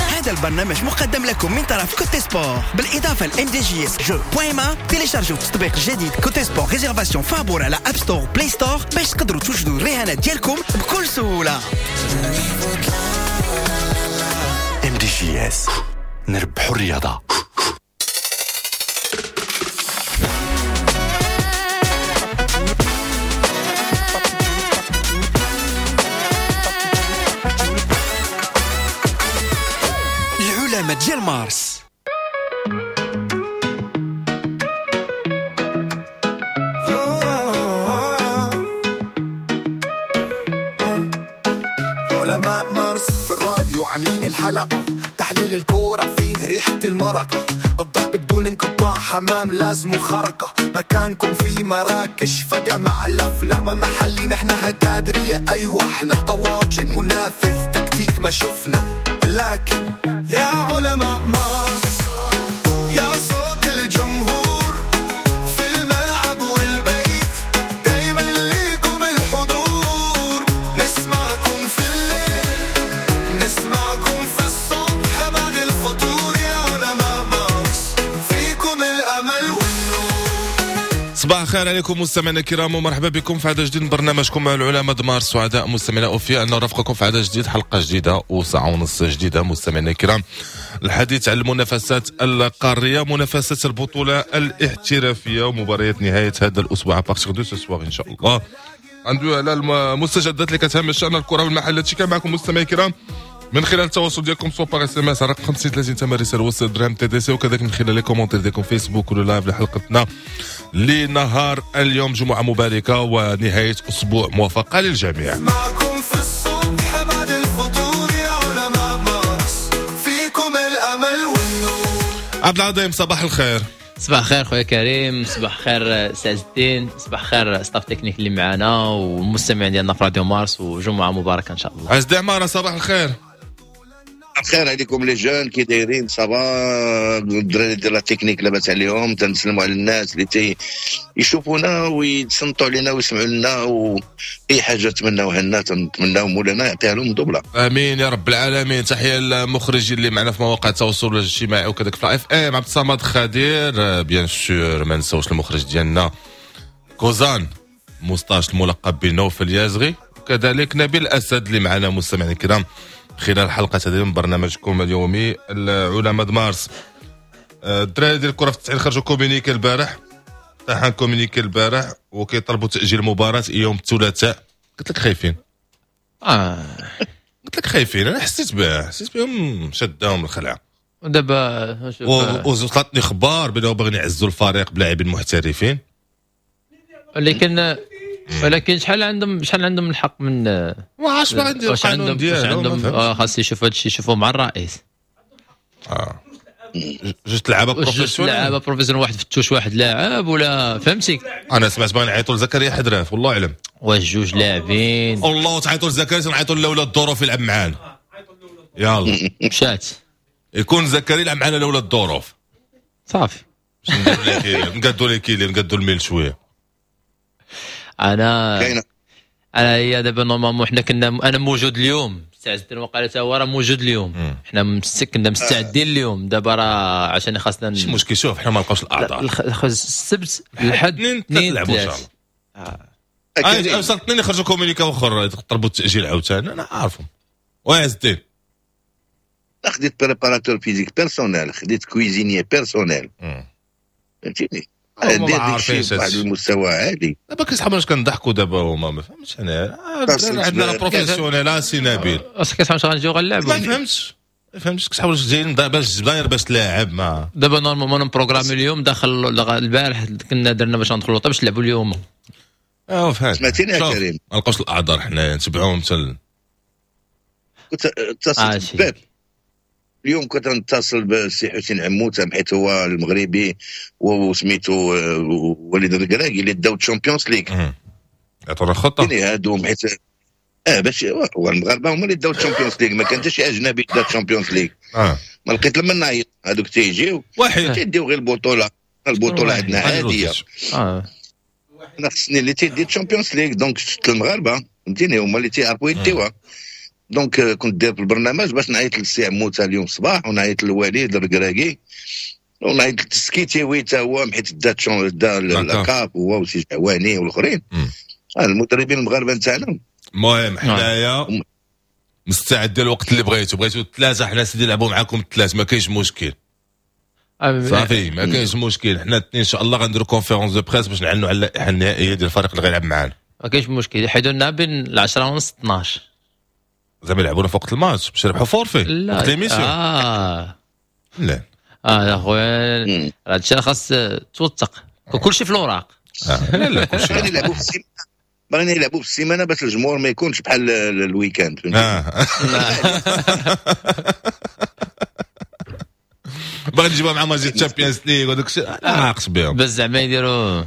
هذا البرنامج مقدم لكم من طرف Cote Sport بالاضافة ل MDJS jeux point ma. تيليشارجوا التطبيق الجديد Cote Sport réservation فابور على App Store، Play Store باش تقدروا توجدوا الرهانات ديالكم بكل سهوله. MDJS نربحوا الرياضة. العلماء ديال مارس. علماء مارس في الراديو عاملين الحلقة، تحليل الكورة فيه ريحة المرقة، الضرب بدون انقطاع، حمام لازم خرقة، مكانكم في مراكش فجأة مع الأفلام محلي، نحن هتادرية أيوة احنا طواجن منافذ تكتيك ما شفنا، لكن يا علماء مارس يا صوت الجمهور في الملعب والبيت، دايما ليكم الحضور، نسمعكم في الليل نسمعكم في الصبح بعد الفطور، يا علماء مارس فيكم الأمل والنور. صباح الخير عليكم مستمعينا الكرام ومرحبا بكم في عدد جديد من برنامجكم العلماء د مارس. سعداء مستمعينا اوفياء ان نرافقكم في عدد جديد، حلقة جديدة وساعة ونص جديدة. مستمعينا الكرام، الحديث عن المنافسات القارية، منافسات البطولة الاحترافية ومباريات نهاية هذا الاسبوع à partir de ce soir ان شاء الله. ندوي على المستجدات اللي كتهم الشان الكره والمحلات. هادشي كان معكم مستمعي الكرام من خلال التواصل ديالكم soit par SMS على رقم 50 30 ثمن رسالة وسط درهم TTC، وكذلك من خلال les commentaires ديالكم فيسبوك ولا live لحلقتنا لنهار اليوم. جمعه مباركة ونهاية اسبوع موفقة للجميع. معكم في الصبح بعد الفطور، يا علماء مارس فيكم الأمل والنور. عبد العظيم صباح الخير. صباح الخير خويا كريم، صباح الخير سي عز الدين، صباح الخير staff technique اللي معنا والمستمعين ديالنا في راديو مارس، وجمعه مباركة ان شاء الله. عز الدين عمارة صباح الخير. الخير عليكم les jeunes، كي دايرين؟ ça va الدراري ديال la technique لاباس عليهم؟ تنسلموا على الناس اللي تي يشوفونا ويتصنتوا علينا ويسمعوا لنا، واي حاجة تمناوها لنا تنتمناو مولانا يعطيها لهم double. امين يا رب العالمين. تحية للمخرجين اللي معنا في مواقع التواصل الاجتماعي وكذلك في FM، عبد الصمد خدير، bien sûr ما نساوش المخرج ديالنا كوزان moustache الملقب بنوفل اليازغي، وكذلك نبيل الاسد اللي معنا مستمعينا الكرام خلال حلقة هذه من برنامجكم اليومي العلماء د مارس. الدراري ديال الكرة في التسعين خرجوا communiqué البارح، طاحن communiqué البارح وكيطلبوا تأجيل المباراة يوم الثلاثاء. قلت لك خايفين. قلت لك خايفين، انا حسيت به، حسيت بهم شداهم الخلعة. ودابا وصلتني اخبار بانه باغيين يعزوا الفريق بلاعبين محترفين، ولكن شحال عندهم الحق من ما عرفتش ما عندي القانون ديالهم، خاص يشوفوا هادشي، يشوفوا مع الرئيس. جوج لعابه professionnels، لعابه professionnels، واحد في ال touche واحد لاعب ولا فهمتي. انا سمعت باغيين يعيطوا لزكريا حدراف، والله اعلم واش جوج لاعبين. والله تعيطوا لزكريا، نعيطوا لولا الظروف يلعب معانا. يلا مشات يكون زكريا يلعب معنا لولا الظروف صافي. نقادوا لي نقادوا الميل شوية. انا هي دابا normalement حنا كنا، انا موجود اليوم، سي عز الدين وقال حتى هو راه موجود اليوم، حنا كنا مستعدين اليوم. دابا راه عشان خاصنا ماشي مشكل. شوف حنا ما نلقاوش الاعذار، السبت الحد اثنين نلعبوا ان شاء الله. وصلت اثنين يخرجوا communiqué اخر طلبوا التاجيل عاوتاني، انا عارفهم. وعز الدين خديت préparateur physique personnel، خديت cuisinier personnel، فهمتيني؟ دير داكشي بواحد المستوى عالي. دابا كيسحبوا واش كنضحكوا دابا هما، ما فهمتش انا. عندنا la professionnel سي نبيل، اش كيسحبوا واش غنجيو غنلعبوا؟ ما فهمتش كيسحبوا واش جايين باش داير باش تلاعب. ما دابا normalement programme اليوم داخل البارح كنا درنا باش ندخلوا باش نلعبوا اليوم. فهمت. سمعتيني يا كريم؟ ما نلقاوش الاعذار حنايا نتبعوهم حتى كنت اتصلت بباب اليوم، كنت نتصل بالسي حسين عموتة حيت هو المغربي وسميتو وليد الكراكي اللي داو Champions League. عطونا خطه هادو حيت باش هو المغاربة هما اللي داو Champions League، ما كان حتى شي اجنبي دا Champions League. ما لقيت لما نعيط هادوك تيجيو واحد تيديو غير البطولة، البطولة عندنا عادية. انا خصني اللي تيدي Champions League، donc المغاربة فهمتيني هما اللي تيعرفوا يديوها. donc كنت داير في البرنامج باش نعيط للسي عموتة اليوم الصباح، ونعيط للوليد الركراكي، ونعيط للسكيتيوي حتى هو، حيت دا la CAF هو وسي جعواني والاخرين المدربين المغاربة نتاعنا. المهم حنايا مستعدين الوقت اللي بغيتو، بغيتو الثلاثة حنا سيدي نلعبوا معاكم الثلاث، ما كاينش مشكل. صافي ما كاينش مشكل. حنا الاثنين ان شاء الله غنديروا conférence de presse باش نعلنوا على اللائحة النهائية ديال الفريق اللي غيلعب معانا. ما كاينش مشكل، يحيدوا لنا بين 10 ونص 12. زعما يلعبونا في وقت الماتش باش يربحوا forfait وقت l'émission. لا اه اخويا هادشي خاص توثق كلشي في الاوراق. لا لا كلشي باغيين يلعبوا في السيمانة باش الجمهور ما يكونش بحال ال week-end. باغي نجيبها مع ماتش Champions League وداك الشيء عاقش بهم بس زعما يديروا.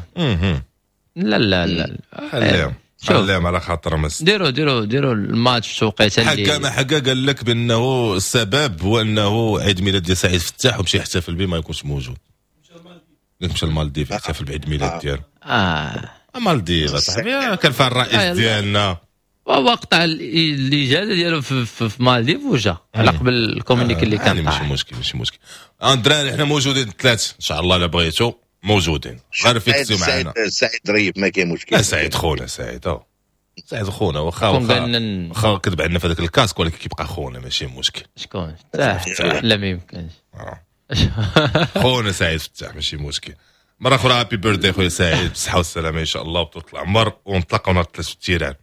لا لا لا خليهم خليهم على خاطرهم. ديروا الماتش في توقيت اللي حكا ما حكا قال لك بانه السبب هو انه عيد ميلاد ديال سعيد فتاح ومشى يحتفل به ما يكونش موجود. مشى المالديف يحتفل بعيد ميلاد ديالو. مالديف اصاحبي كان فيها الرئيس ديالنا وقطع الاجازة ديالو في مالديف وجا على قبل ال communiqué اللي كان. ماشي مشكل ماشي مشكل. الدراري حنا موجودين الثلاث ان شاء الله الا بغيتو موجودين، غير fixيو معنا. سعيد ظريف ما كاين مشكل. لا سعيد خونا، سعيد سعيد خونا واخا واخا كذب عندنا في هذاك ال casque ولكن كيبقى خونا ماشي مشكل. شكون؟ لا ما يمكنش. خونا سعيد فتاح ماشي مشكل. مرة أخرى happy birthday خويا سعيد، بالصحة والسلامة إن شاء الله وطول العمر، ونتلاقاو نهار الثلاث في ال terrain.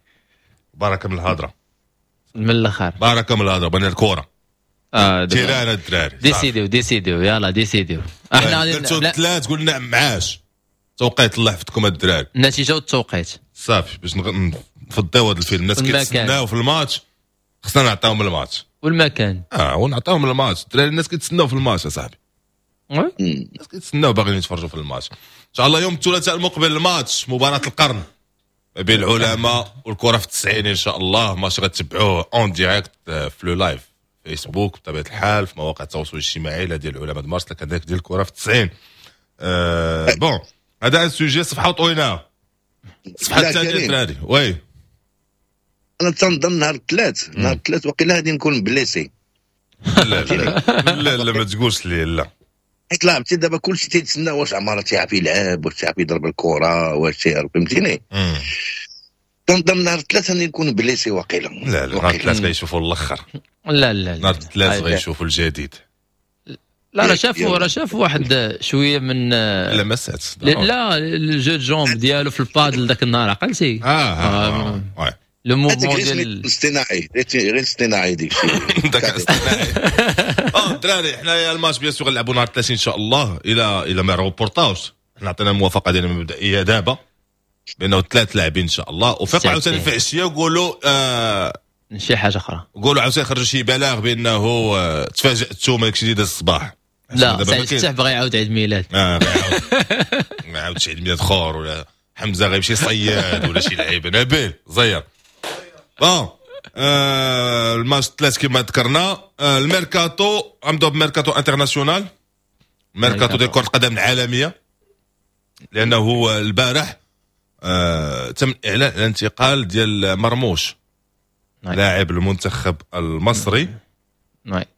بركة من الهضرة. من الآخر. بركة من الهضرة، بغينا الكورة. terrain الدراري. décidيو décidيو يلا décidيو. احنا درتو الثلاث قلنا معاش. توقيت الله يحفظكم الدراري. النتيجة والتوقيت. صافي باش نفضيو هذا الفيلم، الناس كيتسناو في الماتش خصنا نعطيهم الماتش. والمكان. ونعطيهم الماتش، الدراري الناس كيتسناو في الماتش يا صاحبي. الناس كيتسناو باغيين يتفرجوا في الماتش. ان شاء الله يوم الثلاثاء المقبل الماتش مباراة القرن ما بين العلماء والكرة في التسعين ان شاء الله. ماتش غتبعوه en direct في le live فيسبوك بطبيعة الحال، في مواقع التواصل الاجتماعي لا ديال العلماء مارس لا كذلك ديال الكرة في التسعين. bon هذا un sujet صفحة طويلة، صفحة الثانية الدراري. oui انا تنظن نهار الثلاث، نهار الثلاث وقيلا غادي نكون blessé. لا لا لا ما تقولش لي لا، حيت لعبتي دابا كلشي تيتسنى واش عمارة تيعرف يلعب، واش تيعرف يضرب الكره، واش تيعرف، فهمتيني؟ تنظن نهار الثلاث غادي نكون blessé وقيلا. لا لا نهار الثلاث غيشوفوا الاخر. لا لا نهار الثلاث غيشوفوا الجديد. لا راه شافوا واحد شوية من لمسات. لا ال jeu de jambes ديالو في البادل ذاك النهار عقلتي؟ le mouvement ديال الاصطناعي، غير الاصطناعي ديك الشيء داك الاصطناعي. الدراري حنايا الماتش bien sûr غنلعبوا نهار 30 ان شاء الله الى ما روبورطاوش. حنا عطينا الموافقة ديالنا المبدئية دابا بانه ثلاث لاعبين ان شاء الله، وفيقوا عاوتاني في عشية وقولوا شي حاجة اخرى، قولوا عاوتاني خرجوا شي بلاغ بانه تفاجاتوا من داكشي اللي داز الصباح. لا سعيد فتاح بغى يعاود عيد ميلاد. ما يعاودش عيد ميلاد اخر، ولا حمزة غيمشي صياد ولا شي لعيبة. نبيل زير bon الماتش الثلاث كما ذكرنا. الميركاتو غنبداو ب mercato international، ميركاتو ديال كرة القدم العالمية، لأنه البارح تم إعلان الانتقال ديال مرموش لاعب المنتخب المصري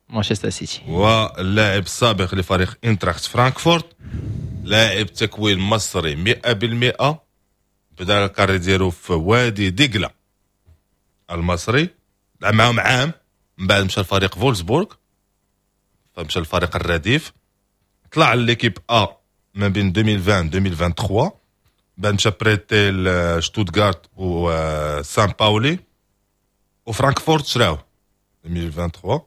مانشستر سيتي، واللاعب السابق لفريق انتراخت فرانكفورت، لاعب تكوين مصري 100%، بدا ال carrière ديالو في وادي دجلة المصري، لعب معاهم عام، من بعد مشى لفريق فولسبورغ، فمشى للفريق الرديف، طلع l'équipe A ما بين 2020 2023، بعد مشى prêté لشتوتغارت وسان باولي وفرانكفورت شراوه 2023.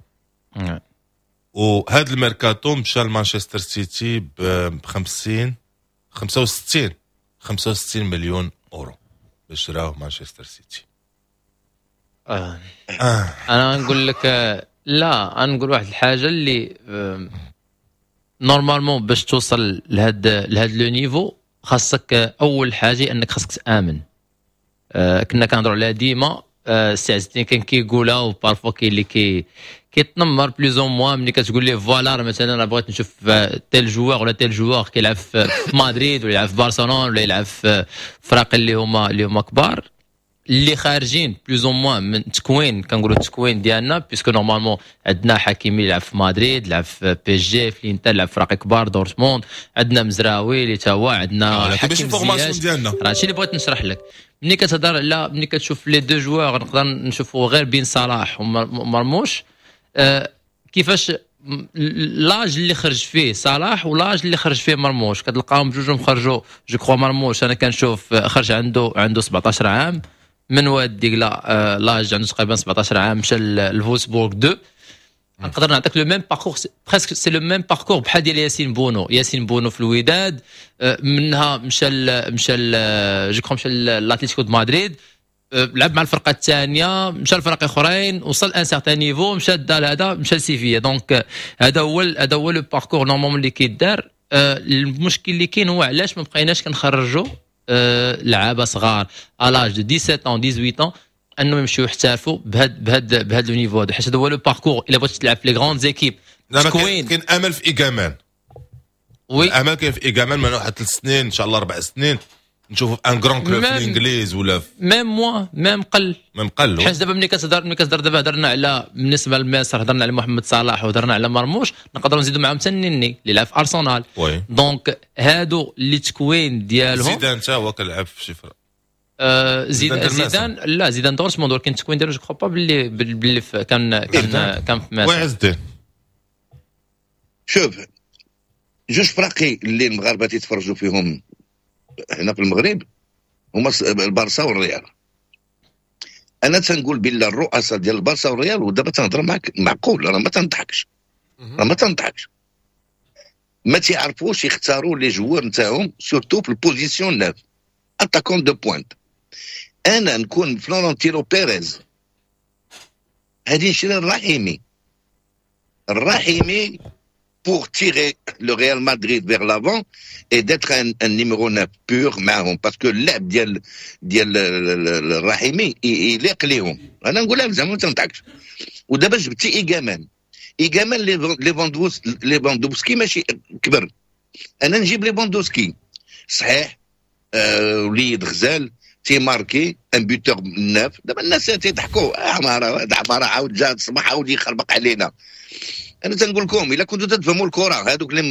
وهذا الميركاتو مشى لمانشستر سيتي ب 65 مليون اورو باش شراوه مانشستر سيتي. انا نقول لك لا، انا نقول واحد الحاجة اللي normalement باش توصل لهاد le niveau خاصك اول حاجة انك خاصك تامن. كنا كنهضروا عليها ديما، السي عز الدين كان كيقولها، و parfois كاين اللي كيتنمر plus ou moins ملي كتقول ليه voilà مثلا انا بغيت نشوف tel joueur ولا tel joueur كيلعب في مدريد ولا يلعب في برشلونة ولا يلعب في فراق اللي هما كبار. اللي خارجين plus ou moins من تكوين، كنقولوا التكوين ديالنا، puisque normalement عندنا حكيمي لعب في مدريد، لعب في PSG، في الانتر، لعب في فرق كبار، دورتموند، عندنا مزراوي اللي تا هو، عندنا حكيم زياش ديالنا. راه هادشي اللي بغيت نشرح لك. ملي كتهضر على ملي كتشوف les deux joueurs، نقدر نشوفوا غير بين صلاح ومرموش، كيفاش l'âge اللي خرج فيه صلاح و l'âge اللي خرج فيه مرموش، كتلقاهم بجوجهم خرجوا. je crois مرموش انا كنشوف خرج عنده 17 عام من واد دقله، l'âge عنده تقريبا 17 عام، مشى لفولسبورغ 2. نقدر نعطيك le même parcours، presque c'est le même parcours بحال ديال ياسين بونو. ياسين بونو في الوداد، منها مشى je crois مشى لاتليتيكو دو مدريد، لعب مع الفرقة الثانيه، مشى لفرق اخرين، وصل un certain niveau، مشى دا هذا، مشى لسيفيا. donc هذا هو le parcours normalement اللي كيدار. المشكل اللي كاين هو علاش ما بقيناش كنخرجوا لعابه صغار à l'âge de 17 ans، 18 ans، انهم يمشيو يحترفوا بهاد le niveau هذا، حيت هذا هو le parcours الا بغيتي تلعب في les grandes équipes. تكوين. كاين امل في ايغامان. oui، الامل كاين في ايغامان من واحد 3 سنين ان شاء الله، 4 سنين، نشوفوا في un grand club في الانجليز ولا في même moins، même قل. même قل. حيت دابا ملي كتهضر دابا هضرنا على بالنسبة لمصر، هضرنا على محمد صلاح وهضرنا على مرموش، نقدروا نزيدوا معاهم حتى النني اللي لعب في ارسنال. Donc هادو اللي تكوين ديالهم. زيدان حتى هو كيلعب في شي فرق. زيدان، زيدان لا، زيدان دورتموند، ولكن التكوين ديالو je crois pas باللي كان في مصر. oui عز الدين. شوف، جوج فراقي اللي المغاربة تيتفرجوا فيهم هنا في المغرب هما البارسا والريال. انا تنقول بالله الرؤساء ديال البارسا والريال، ودابا تنهضر معك معقول، راه ما تنضحكش، راه ما تنضحكش، ما تيعرفوش يختاروا les joueurs نتاعهم، surtout في ال position 9، attaquant de pointe. انا نكون فلورنتينو بيريز هادي نشري الرحيمي، الرحيمي pour tirer le Real Madrid vers l'avant et d'être un numéro 9 pur معهم، parce que اللعب ديال الرحيمي يليق ليهم. انا نقولها زعما ما تنضحكش. ودابا جبتي ايغامان، ايغامان ليفاندوفسكي ماشي كبر. انا نجيب ليفاندوفسكي صحيح، وليد غزال تيماركي، un buteur neuf. دابا الناس تيضحكوا، عمارة عمارة عاود جا الصباح عاود يخربق علينا. انا تنقول لكم الا كنتوا تفهموا الكره، هذوك اللي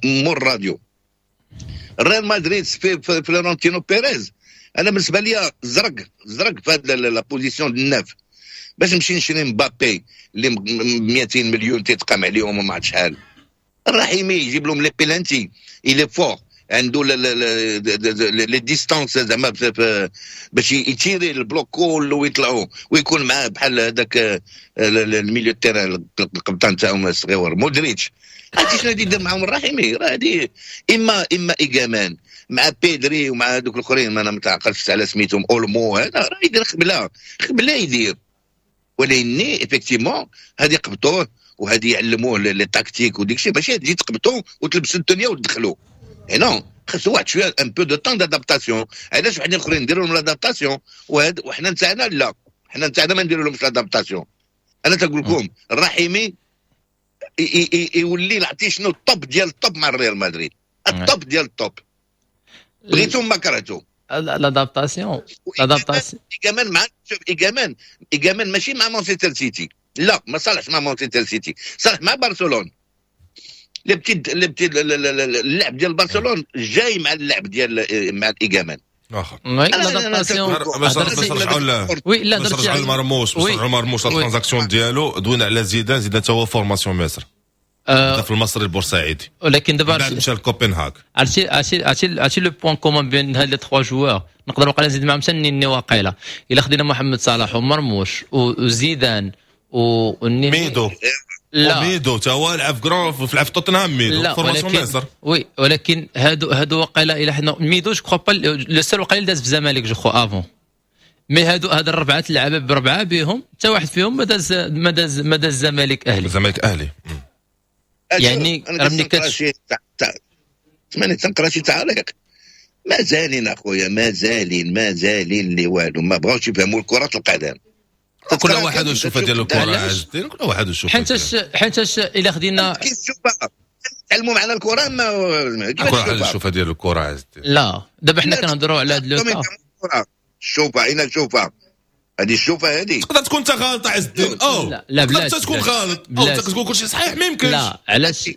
مور الراديو، ريال مدريد في فلورنتينو بيريز، انا بالنسبة لي زرق زرق في هذا la position neuf، باش نمشي نشري مبابي اللي 200 مليون تيتقام عليهم وما عرفت شحال. الرحيمي يجيب لهم les pénaltys، il est fort، عنده les distances زعما باش يتيري ال bloc كله ويطلعوا، ويكون معاه بحال هذاك ال milieu terrain القبطان تاعهم الصغيور مودريتش. عرفتي شنو غادي يدير معاهم الرحيمي؟ راه هادي اما ايغامان مع بيدري ومع هذوك الاخرين، ما انا ما تعقلش على سميتهم، اولمو هذا، راه يدير خبله خبله يدير. ولكن effectivement هذه قبطوه وهذه يعلموه les tactiques وديك الشيء، ماشي تجي تقبطوه وتلبسوا الدنيا وتدخلوا. non، خاصو واحد شوية un peu de temps d'adaptation. علاش وحدين اخرين نديروا لهم l'adaptation وهاد وحنا نتاعنا لا، حنا نتاعنا ما نديروا لهمش l'adaptation؟ انا تنقول لكم الرحيمي يولي عرفتي شنو؟ ال top ديال ال top مع الريال مدريد، ال top ديال ال top، بغيتو ما كرهتو. l'adaptation، l'adaptation. ايغامان مع، شوف، ايغامان ماشي مع مانشستر سيتي، لا، ما صالحش مع مانشستر سيتي، صالح مع برشلونه. les petits اللعب ديال برشلونة جاي مع اللعب ديال مع الايغامان. واخا. oui، l'adaptation. باش نرجعوا oui، لا. باش نرجعوا لمرموش، باش نرجعوا لمرموش، la transaction ديالو، دوينا على زيدان. زيدان تا هو formation مصر، في المصري البورسعيدي. ولكن دابا بعد مشى لكوبنهاغ. عرفتي le point commun بين هاد les trois joueurs، نقدر وقيلا نزيد معاهم حتى النني واقيلا. الا خدينا محمد صلاح ومرموش وزيدان والنني ميدو. لا. ميدو تا هو لعب في grand، لعب في توتنهام ميدو. لا. formation مصر. oui، ولكن هادو وقيلا الى حنا ميدو je crois pas le seul وقيلا داز في الزمالك je crois avant، mais هاد الربعه اللعابه بربعه بهم حتى واحد فيهم ما داز الزمالك اهلي. الزمالك اهلي. يعني راه ملي سمعني، تنقرا شي تعليق، مازالين اخويا، مازالين اللي والو ما بغاوش يفهموا كرة القدم. كل واحد وشوفه ديال الكره عز الدين، كل واحد وشوفه. حيتاش الا خدينا كيف تشوفها؟ تعلموا معنا الكره ما كل واحد الشوفه ديال الكره عز الدين. لا، دابا حنا كنهضروا على هاد le cas. الشوفه عينا شوفه هذه الشوفه هذه تقدر تكون انت غلط عز الدين. لا لا بلاش تقدر تكون غلط او تقول كلشي صحيح ما يمكنش. لا علاش؟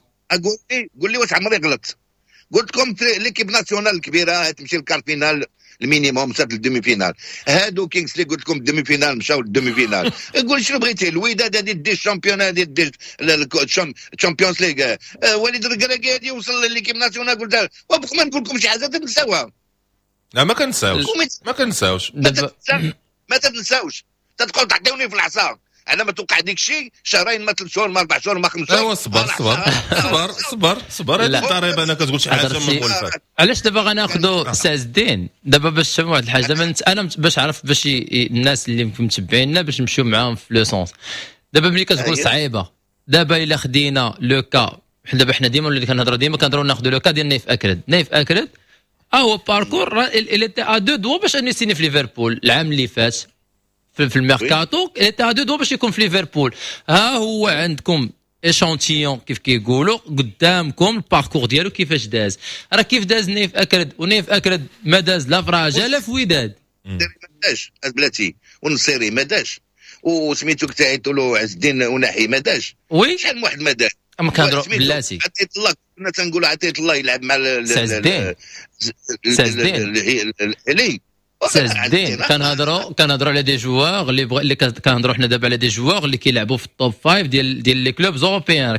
قول لي واش عمري غلط؟ قلت لكم l'équipe nationale الكبيرة تمشي لل quart finale ال minimum مشات لل demi-finale. هادو كينغز اللي قلت لكم ال demi-finale مشاو لل demi-finale. قول شنو بغيتي؟ الوداد هذه دي ال champion هذه دي ال Champions League. وليد الركراكي هذه وصل l'équipe nationale. قلت وبقى ما نقول لكم شي حاجة تنساوها. لا ما كنساوش ما كنساوش ما تنساوش. تدخل تعطيوني في العصا على ما توقع ديك الشيء شهرين ما 3 شهور ما 4 شهور ما 5 شهور. ايوا صبر صبر صبر صبر صبر. هذه الضريبة انا كتقول شي حاجة ما مولفه. علاش دابا غناخذوا سي عز الدين دابا باش تفهموا واحد الحاجة؟ دابا انا باش عرف باش الناس اللي متبعينا باش نمشيو معاهم في le sens. دابا ملي كتقول صعيبة، دابا الا خدينا le cas، دابا حنا ديما اللي كنهضروا ديما كنهضروا ناخذوا le cas ديال نايف اكرد. نايف اكرد هو parcours il était à deux doigts باش انه يسيني في ليفربول العام اللي فات في الميركاتو. il était à deux doigts باش يكون في ليفربول. ها هو عندكم échantillon كيف كيقولوا قدامكم ال parcours ديالو كيفاش داز. راه كيف داز نايف اكرد، ونايف اكرد ما داز لا في رجاء لا في وداد. ما داش بلاتي، ونصيري ما داش، وسميتو كتعيطوا له عز الدين وناحي ما داش. oui شحال من واحد ما داش. اما كنهضروا بلاتي عطيت الله، كنا تنقولوا عطيت الله يلعب مع سي عز الدين. كنهضروا على des joueurs اللي كنهضروا حنا دابا على des joueurs اللي كيلعبوا في ال top 5 ديال les clubs européens. راه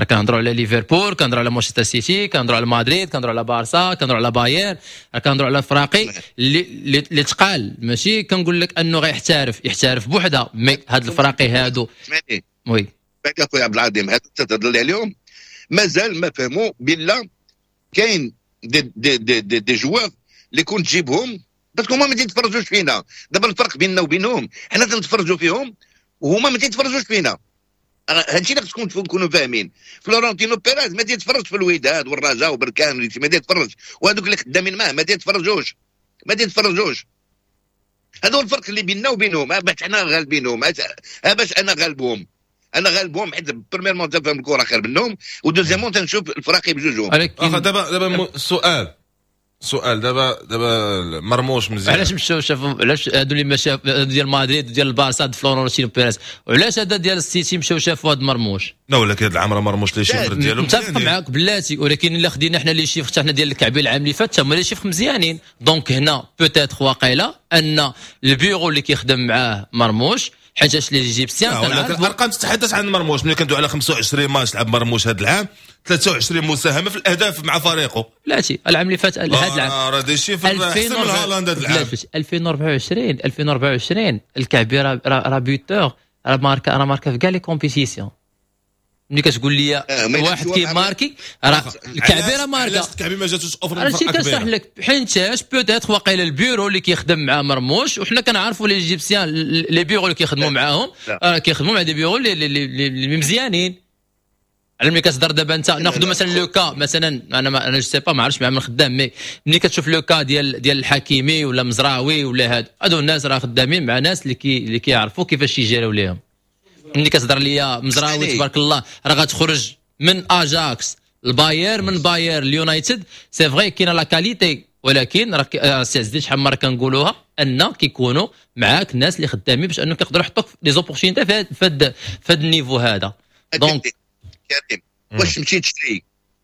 كنهضروا على ليفربول، كنهضروا على مانشستر سيتي، كنهضروا على مدريد، كنهضروا على بارسا، كنهضروا على بايرن، كنهضروا على فراقي اللي تقال. ماشي كنقول لك انه غيحترف يحترف بوحده، mais هاد الفراقي هادو oui باك اخويا عبد العظيم هادو تتهضر لي عليهم مازال ما فهموا بلا كاين des des des des, des joueurs اللي كنت تجيبهم parce que هما ما تيتفرجوش فينا. دابا الفرق بيننا وبينهم حنا تنتفرجوا فيهم وهما ما تيتفرجوش فينا. هادشي اللي خصكم تكونوا فاهمين. فلورنتينو بيريز ما تيتفرجش في الوداد والرجاء وبركان، ما تيتفرج، وهذوك اللي خدامين معاه ما تيتفرجوش ما تيتفرجوش. هذا هو الفرق اللي بيننا وبينهم. باش حنا غالبينهم، باش انا غالبهم، انا غالبهم حيت premièrement تفهم الكره خير منهم، و deuxièmement تنشوف الفراقي بجوجهم. دابا سؤال دابا مرموش مزيان. علاش مشاو شافوا؟ علاش هادو اللي ما شاف ديال مدريد وديال البارسا فلورنتينو بيريز، وعلاش هذا ديال السيتي مشاو شافوا هاد مرموش؟ لا ولكن هاد العام راه مرموش les chiffres ديالو متفق معاك بلاتي، ولكن الا خدينا حنا les chiffres حنا ديال الكعبي العام اللي فات هما les chiffres مزيانين. donc هنا peut-être واقيلا ان البيرو اللي كيخدم معاه مرموش حيتاش les Égyptiens الارقام تتحدث عن مرموش. ملي كندوي على 25 ماتش لعب مرموش هذا العام، 23 مساهمة في الاهداف مع فريقه. بلاتي العام اللي فات هذا العام راه des chiffres احسن من هالاند هذا العام. 2024 الكعبي راه buteur، راه ماركا في كاع les compétitions. ملي كتقول لي واحد كيماركي راه الكعبي راه ماركا. الكعبي ما جاتوش offre من فرقه كبيرة. كنشرح لك حيتاش peut-être واقيلا البيرو اللي كيخدم مع مرموش، وحنا كنعرفوا les Égyptiens les bureaux اللي كيخدموا معاهم راه كيخدموا مع des bureaux اللي مزيانين. على ملي كتهضر دابا انت ناخذ مثلا le cas مثلا، انا je sais pas ما عرفتش مع من خدام، mais ملي كتشوف le cas ديال الحكيمي ولا مزراوي ولا هادو الناس راه خدامين مع ناس اللي كيعرفوا كيفاش يجيروا ليهم. ملي كتهضر ليا مزراوي تبارك الله راه غتخرج من اجاكس الباير، من باير اليونايتد، c'est vrai كاينه la qualité، ولكن راه سي عز الدين شحال مرة كنقولوها ان كيكونوا معاك الناس اللي خدامين باش انهم كيقدروا يحطوك les opportunités في هذا ال niveau هذا. donc كريم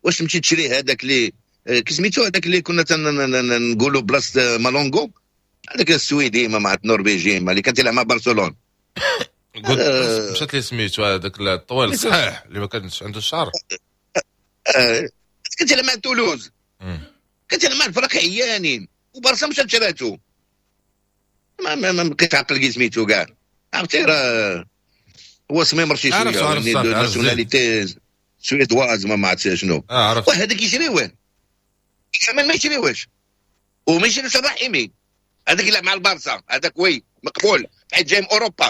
واش تمشي تشري هذاك اللي كسميتو هذاك اللي كنا نقولوا بلاصة مالونغو، هذاك السويدي ما مع النرويجي اللي كان تيلعب مع برشلونة. قلت مشات لي سميتو هذاك الطويل الصحيح اللي ما كانش عنده الشعر. كنت تيلعب مع تولوز، كنت تيلعب مع الفرق عيانين، وبرشا مشات شراتو. ما بقيت عقل كي سميتو كاع، عرفتي راه هو سميمر شي شوية nationalité suédoise ما عرفتش شنو. وهذاك يشريوه ما يشريوهش، وما يشريوش الرحيمي هذاك يلعب مع البارسا، هذاك oui مقبول حيت جاي من اوروبا.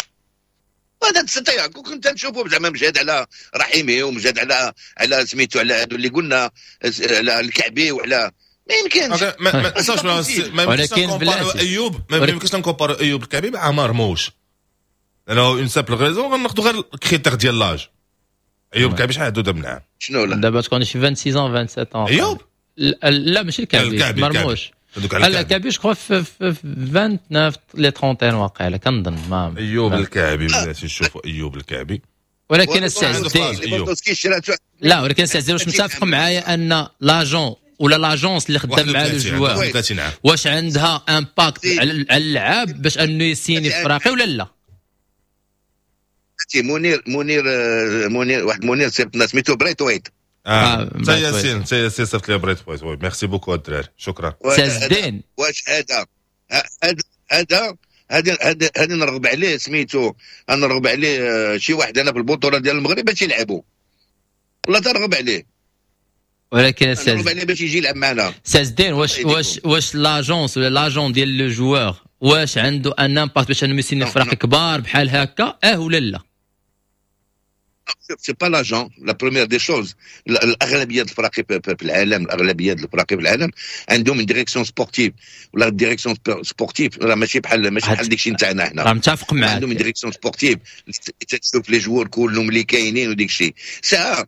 وهذا تستطيع كنت نشوفه زعما مجهد على رحيمي ومجهد على سميتو على هادو اللي قلنا على الكعبي وعلى ما يمكنش. ما تنساوش ما يمكنش نكومباريو ايوب، ما يمكنش نكومباريو ايوب الكعبي مع مرموش، لانه une simple raison غناخذوا غير ال critère ديال l'âge. ايوب الكعبي شحال عنده دابا من عام؟ شنو لا دابا تكون شي 26 27 ايوب؟ لا ماشي الكعبي، مرموش. على الكعبي je crois في 29 les 31 واقيلا كنظن. ما ايوب الكعبي بلاتي نشوفوا ايوب الكعبي. ولكن السي عز الدين لا، ولكن السي عز الدين واش متفق معايا ان l'agent ولا l'agence اللي خدام مع le joueur واش عندها impact على اللعاب باش انه يسيني في فراقي ولا لا؟ منير منير منير واحد منير صيفط سميتو بريت وايت. تا ياسين تا ياسين صيفط لي بريت وايت. oui merci beaucoup الدراري شكرا. سي عز الدين واش هذا هذا هذا هذا نرغب عليه سميتو، نرغب عليه شي واحد انا في البطولة ديال المغرب باش يلعبوا، والله ترغب عليه. ولكن نرغب عليه باش يجي يلعب معنا. سي عز الدين واش واش واش l'agence ولا l'agent ديال le joueur واش عنده un impact باش انه يسيني فرق كبار بحال هكا ولا لا؟ c'est pas l'agent la première des choses. الاغلبية الفرق في العالم، الاغلبية الفرق في العالم عندهم direction sportive ولا direction sportive راه ماشي بحال ماشي بحال داكشي نتاعنا حنا. راه متفق معاك. عندهم direction sportive تشوف les joueurs كلهم اللي كاينين وديك الشيء. ساعة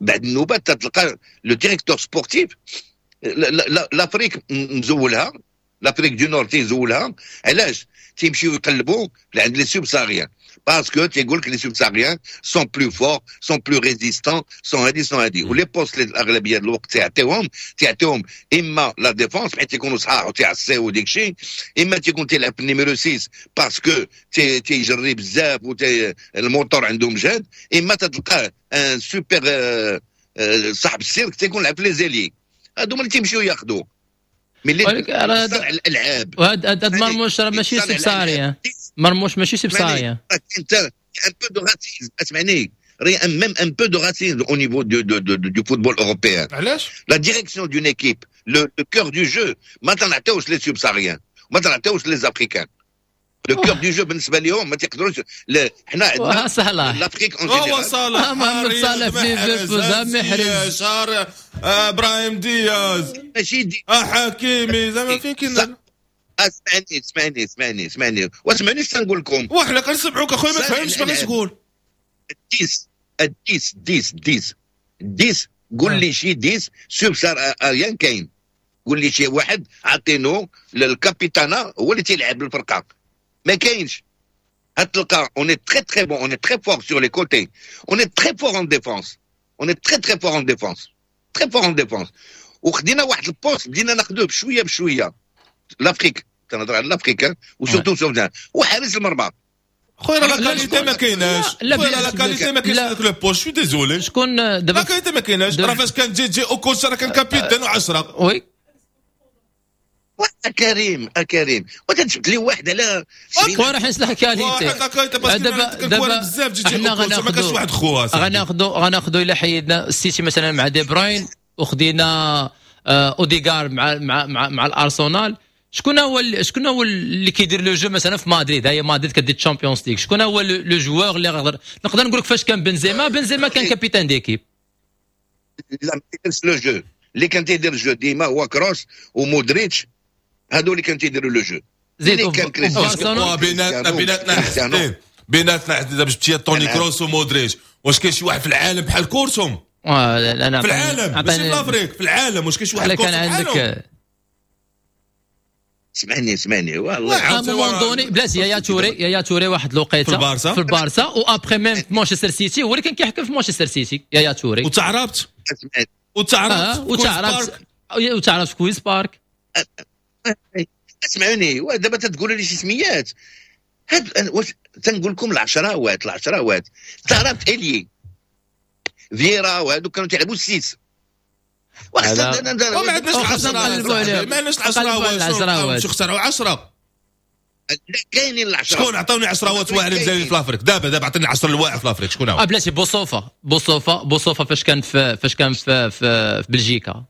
بعد النوبات تلقى le directeur sportif l'Afrique مزولها، l'Afrique du Nord تيزولها. علاش؟ تيمشيو يقلبوا عند les subsahariens parce que تيقول لك les subsahariens sont plus forts، sont plus résistants، sont هادي sont هادي. و les postes اللي الاغلبية ديال الوقت تيعطيهم اما la défense حيت تيكونوا صحاح وتيعصيو وديك الشيء، اما تيكون تيلعب في ال numéro 6 parce que تيجري بزاف الموتور عندهم جهد، اما تتلقاه un super صاحب السيرك تيكون لعب في les ailiers. هادو اللي تيمشيو ياخذوا ملي الالعاب. وهاد مرموش راه ماشي subsaharien، مرموش ماشي subsaharien. انت un peu de racisme، اسمعني، même un peu de racisme au niveau du football européen. علاش؟ La direction d'une équipe, le cœur du jeu, ما تنعطيوش les subsahariens، ما تنعطيوش les africains. Le cœur du jeu بالنسبة لهم ما تيقدروش. حنا عندنا l'Afrique en général. هو صلاح، محمد صلاح في ليفربول، محرز، ابراهيم دياز، ماشي دي حكيمي، زعما فين كاين؟ اسمعني اسمعني اسمعني اسمعني واسمعني اش تنقول لكم. وحنا كنسمعوك اخويا ما فهمتش باغي تقول. ال dix ال dix dix dix قول لي شي dix subsaharien كاين، قول لي شي واحد عطينو لل capitana هو اللي تيلعب الفرقة، ما كاينش. هتلقى on est très très bon, on est très fort sur les côtés, on est très fort en défense, on est très très fort en défense, très fort en défense. وخدينا واحد ال poste بدينا ناخذوه بشوية بشوية. l'Afrique تنهضر على l'Afrique و surtout سوفيان وحارس المرمى. خويا راه la qualité ما كايناش، خويا la qualité ما كاينش داك le poste، je suis désolé. شكون دابا la qualité ما كايناش؟ راه فاش كان جي جي اوكوتشا راه كان capitaine و10. oui كريم كريم وتجبد لي واحد على خويا راه حيت la qualité دابا بزاف جي جي اوكوتشا ما كانش واحد خوها. غناخذوا الا حيدنا السيتي مثلا مع دي بروين وخدينا اوديغار مع مع مع, مع الارسنال، شكون هو اللي كيدير le jeu مثلا في مدريد؟ هي مدريد كدير Champions League، شكون هو le joueur اللي نقدر نقول لك فاش كان بنزيما كان capitaine d'équipe. لا ما كيديرش le jeu، اللي كان تيدير jeu ديما هو كروس ومودريتش، هادو اللي كان تيديروا le jeu. زيد كان كريستيانو بيناتنا بيناتنا دابا جبتي توني كروس ومودريتش، واش كاين شي واحد في العالم بحال كورتهم؟ انا في العالم ماشي في l'Afrique، في العالم واش كاين شي واحد كان عندك؟ اسمعني اسمعني والله à un moment donné بلاتي يا توري واحد الوقيته في البارسا و après même في مانشستر سيتي هو اللي كان كيحكم في مانشستر سيتي يا توري. وتعربت وتعربت وتعربت في كويز بارك. اسمعوني دابا تتقولوا لي شي سميات هاد، واش تنقول لكم العشراوات تعرفت الي فيرا وهادو كانوا تيلعبوا ال six. ما عندناش العشرة، ما عندناش العشراوات، شو اخترعوا 10؟ لا كاينين العشرة. شكون عطاوني عشراوات واعرين مزيانين في l'Afrique؟ دابا عطيني 10 الواعر في l'Afrique، شكون هو؟ بلاتي بوصوفه فاش كان في بلجيكا.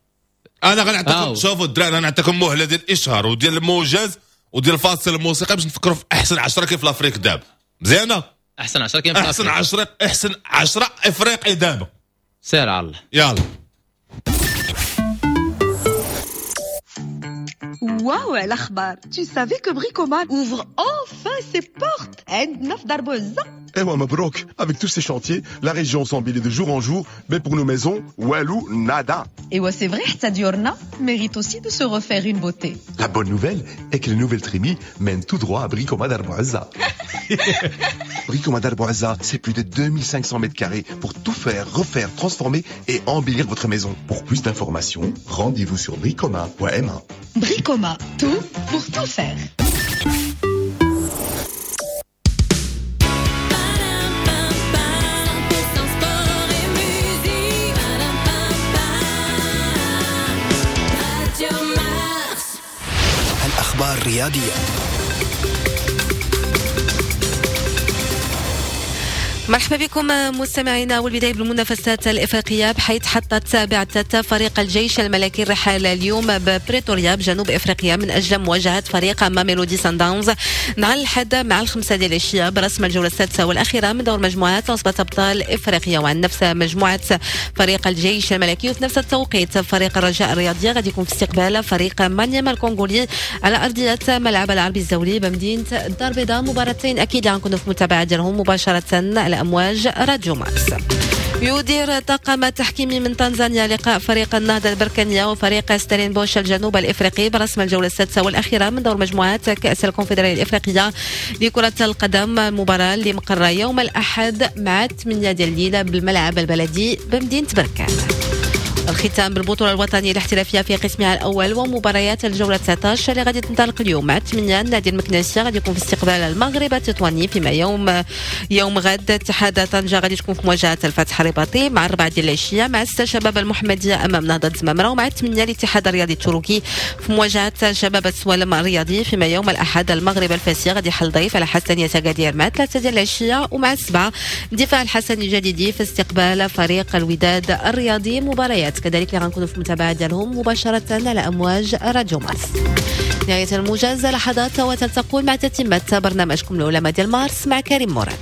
انا غنعطيكم شوفوا الدراري، انا نعطيكم مهله ديال الاشهار وديال الموجز وديال الفاصل الموسيقى باش نفكروا في احسن 10 كيف l'Afrique دابا. مزيانه؟ احسن 10 كاين في احسن 10، احسن 10 افريقي دابا. سير على الله يلا. واو على اخبار. Tu savais que Bricoman ouvre enfin ses portes عندنا في دار بوعزة. Eh ouais, مبروك. Avec tous ces chantiers, la région s'embellit de jour en jour, mais pour nos maisons, والو, nada. Et ouais, c'est vrai, حتى ديورنا mérite aussi de se refaire une beauté. La bonne nouvelle est que les nouvelles trémies mènent tout droit à Bricoma Dar Bouazza. Bricoma Dar Bouazza, c'est plus de 2500 mètres carrés pour tout faire, refaire, transformer et embellir votre maison. Pour plus d'informations, rendez-vous sur bricoma.ma. Bricoma, tout pour tout faire. الأخبار الرياضية. مرحبا بكم مستمعينا، والبداية بالمنافسات الإفريقية، بحيث حطت بعثة فريق الجيش الملكي الرحال اليوم ببريتوريا بجنوب إفريقيا من أجل مواجهة فريق ماميلودي سانداونز نهار الأحد مع 5 ديال العشية برسم الجولة السادسة والأخيرة من دور مجموعات عصبة أبطال إفريقيا. وعن نفس مجموعة فريق الجيش الملكي وفي نفس التوقيت فريق الرجاء الرياضي غادي يكون في استقبال فريق مانيما الكونغولي على أرضية ملعب العربي الزولي بمدينة الدار البيضاء. مباراتين أكيد غنكونوا في متابعة ديالهم مباشرة على أمواج راديو مارس. يدير طاقم تحكيمي من تنزانيا لقاء فريق النهضة البركانية وفريق ستيلينبوش الجنوب الإفريقي برسم الجولة السادسة والأخيرة من دور مجموعات كأس الكونفدرالية الإفريقية لكرة القدم، المباراة اللي مقرة يوم الأحد مع 8 ديال الليل بالملعب البلدي بمدينة بركان. الختام بالبطولة الوطنية الاحترافية في قسمها الأول ومباريات الجولة 19 اللي غادي تنطلق اليوم مع 8. النادي المكناسي غادي يكون في استقبال المغرب التطواني، فيما يوم غد اتحاد طنجة غادي تكون في مواجهة الفتح الرباطي مع 4 ديال العشية، مع 6 شباب المحمدية أمام نهضة زمامرة، ومع 8 الاتحاد الرياضي التركي في مواجهة شباب السوالم الرياضي، فيما يوم الأحد المغرب الفاسي غادي يحل ضيف على حسنية أكادير مع 3 ديال العشية، ومع 7 دفاع الحسني الجديدي في استقبال فريق الوداد الرياضي. مباريات كذلك اللي غنكونوا في المتابعة ديالهم مباشرة على أمواج راديو مارس. نهاية الموجز لحظات وتلتقون مع تتمة برنامجكم العلماء ديال مارس مع كريم مراد.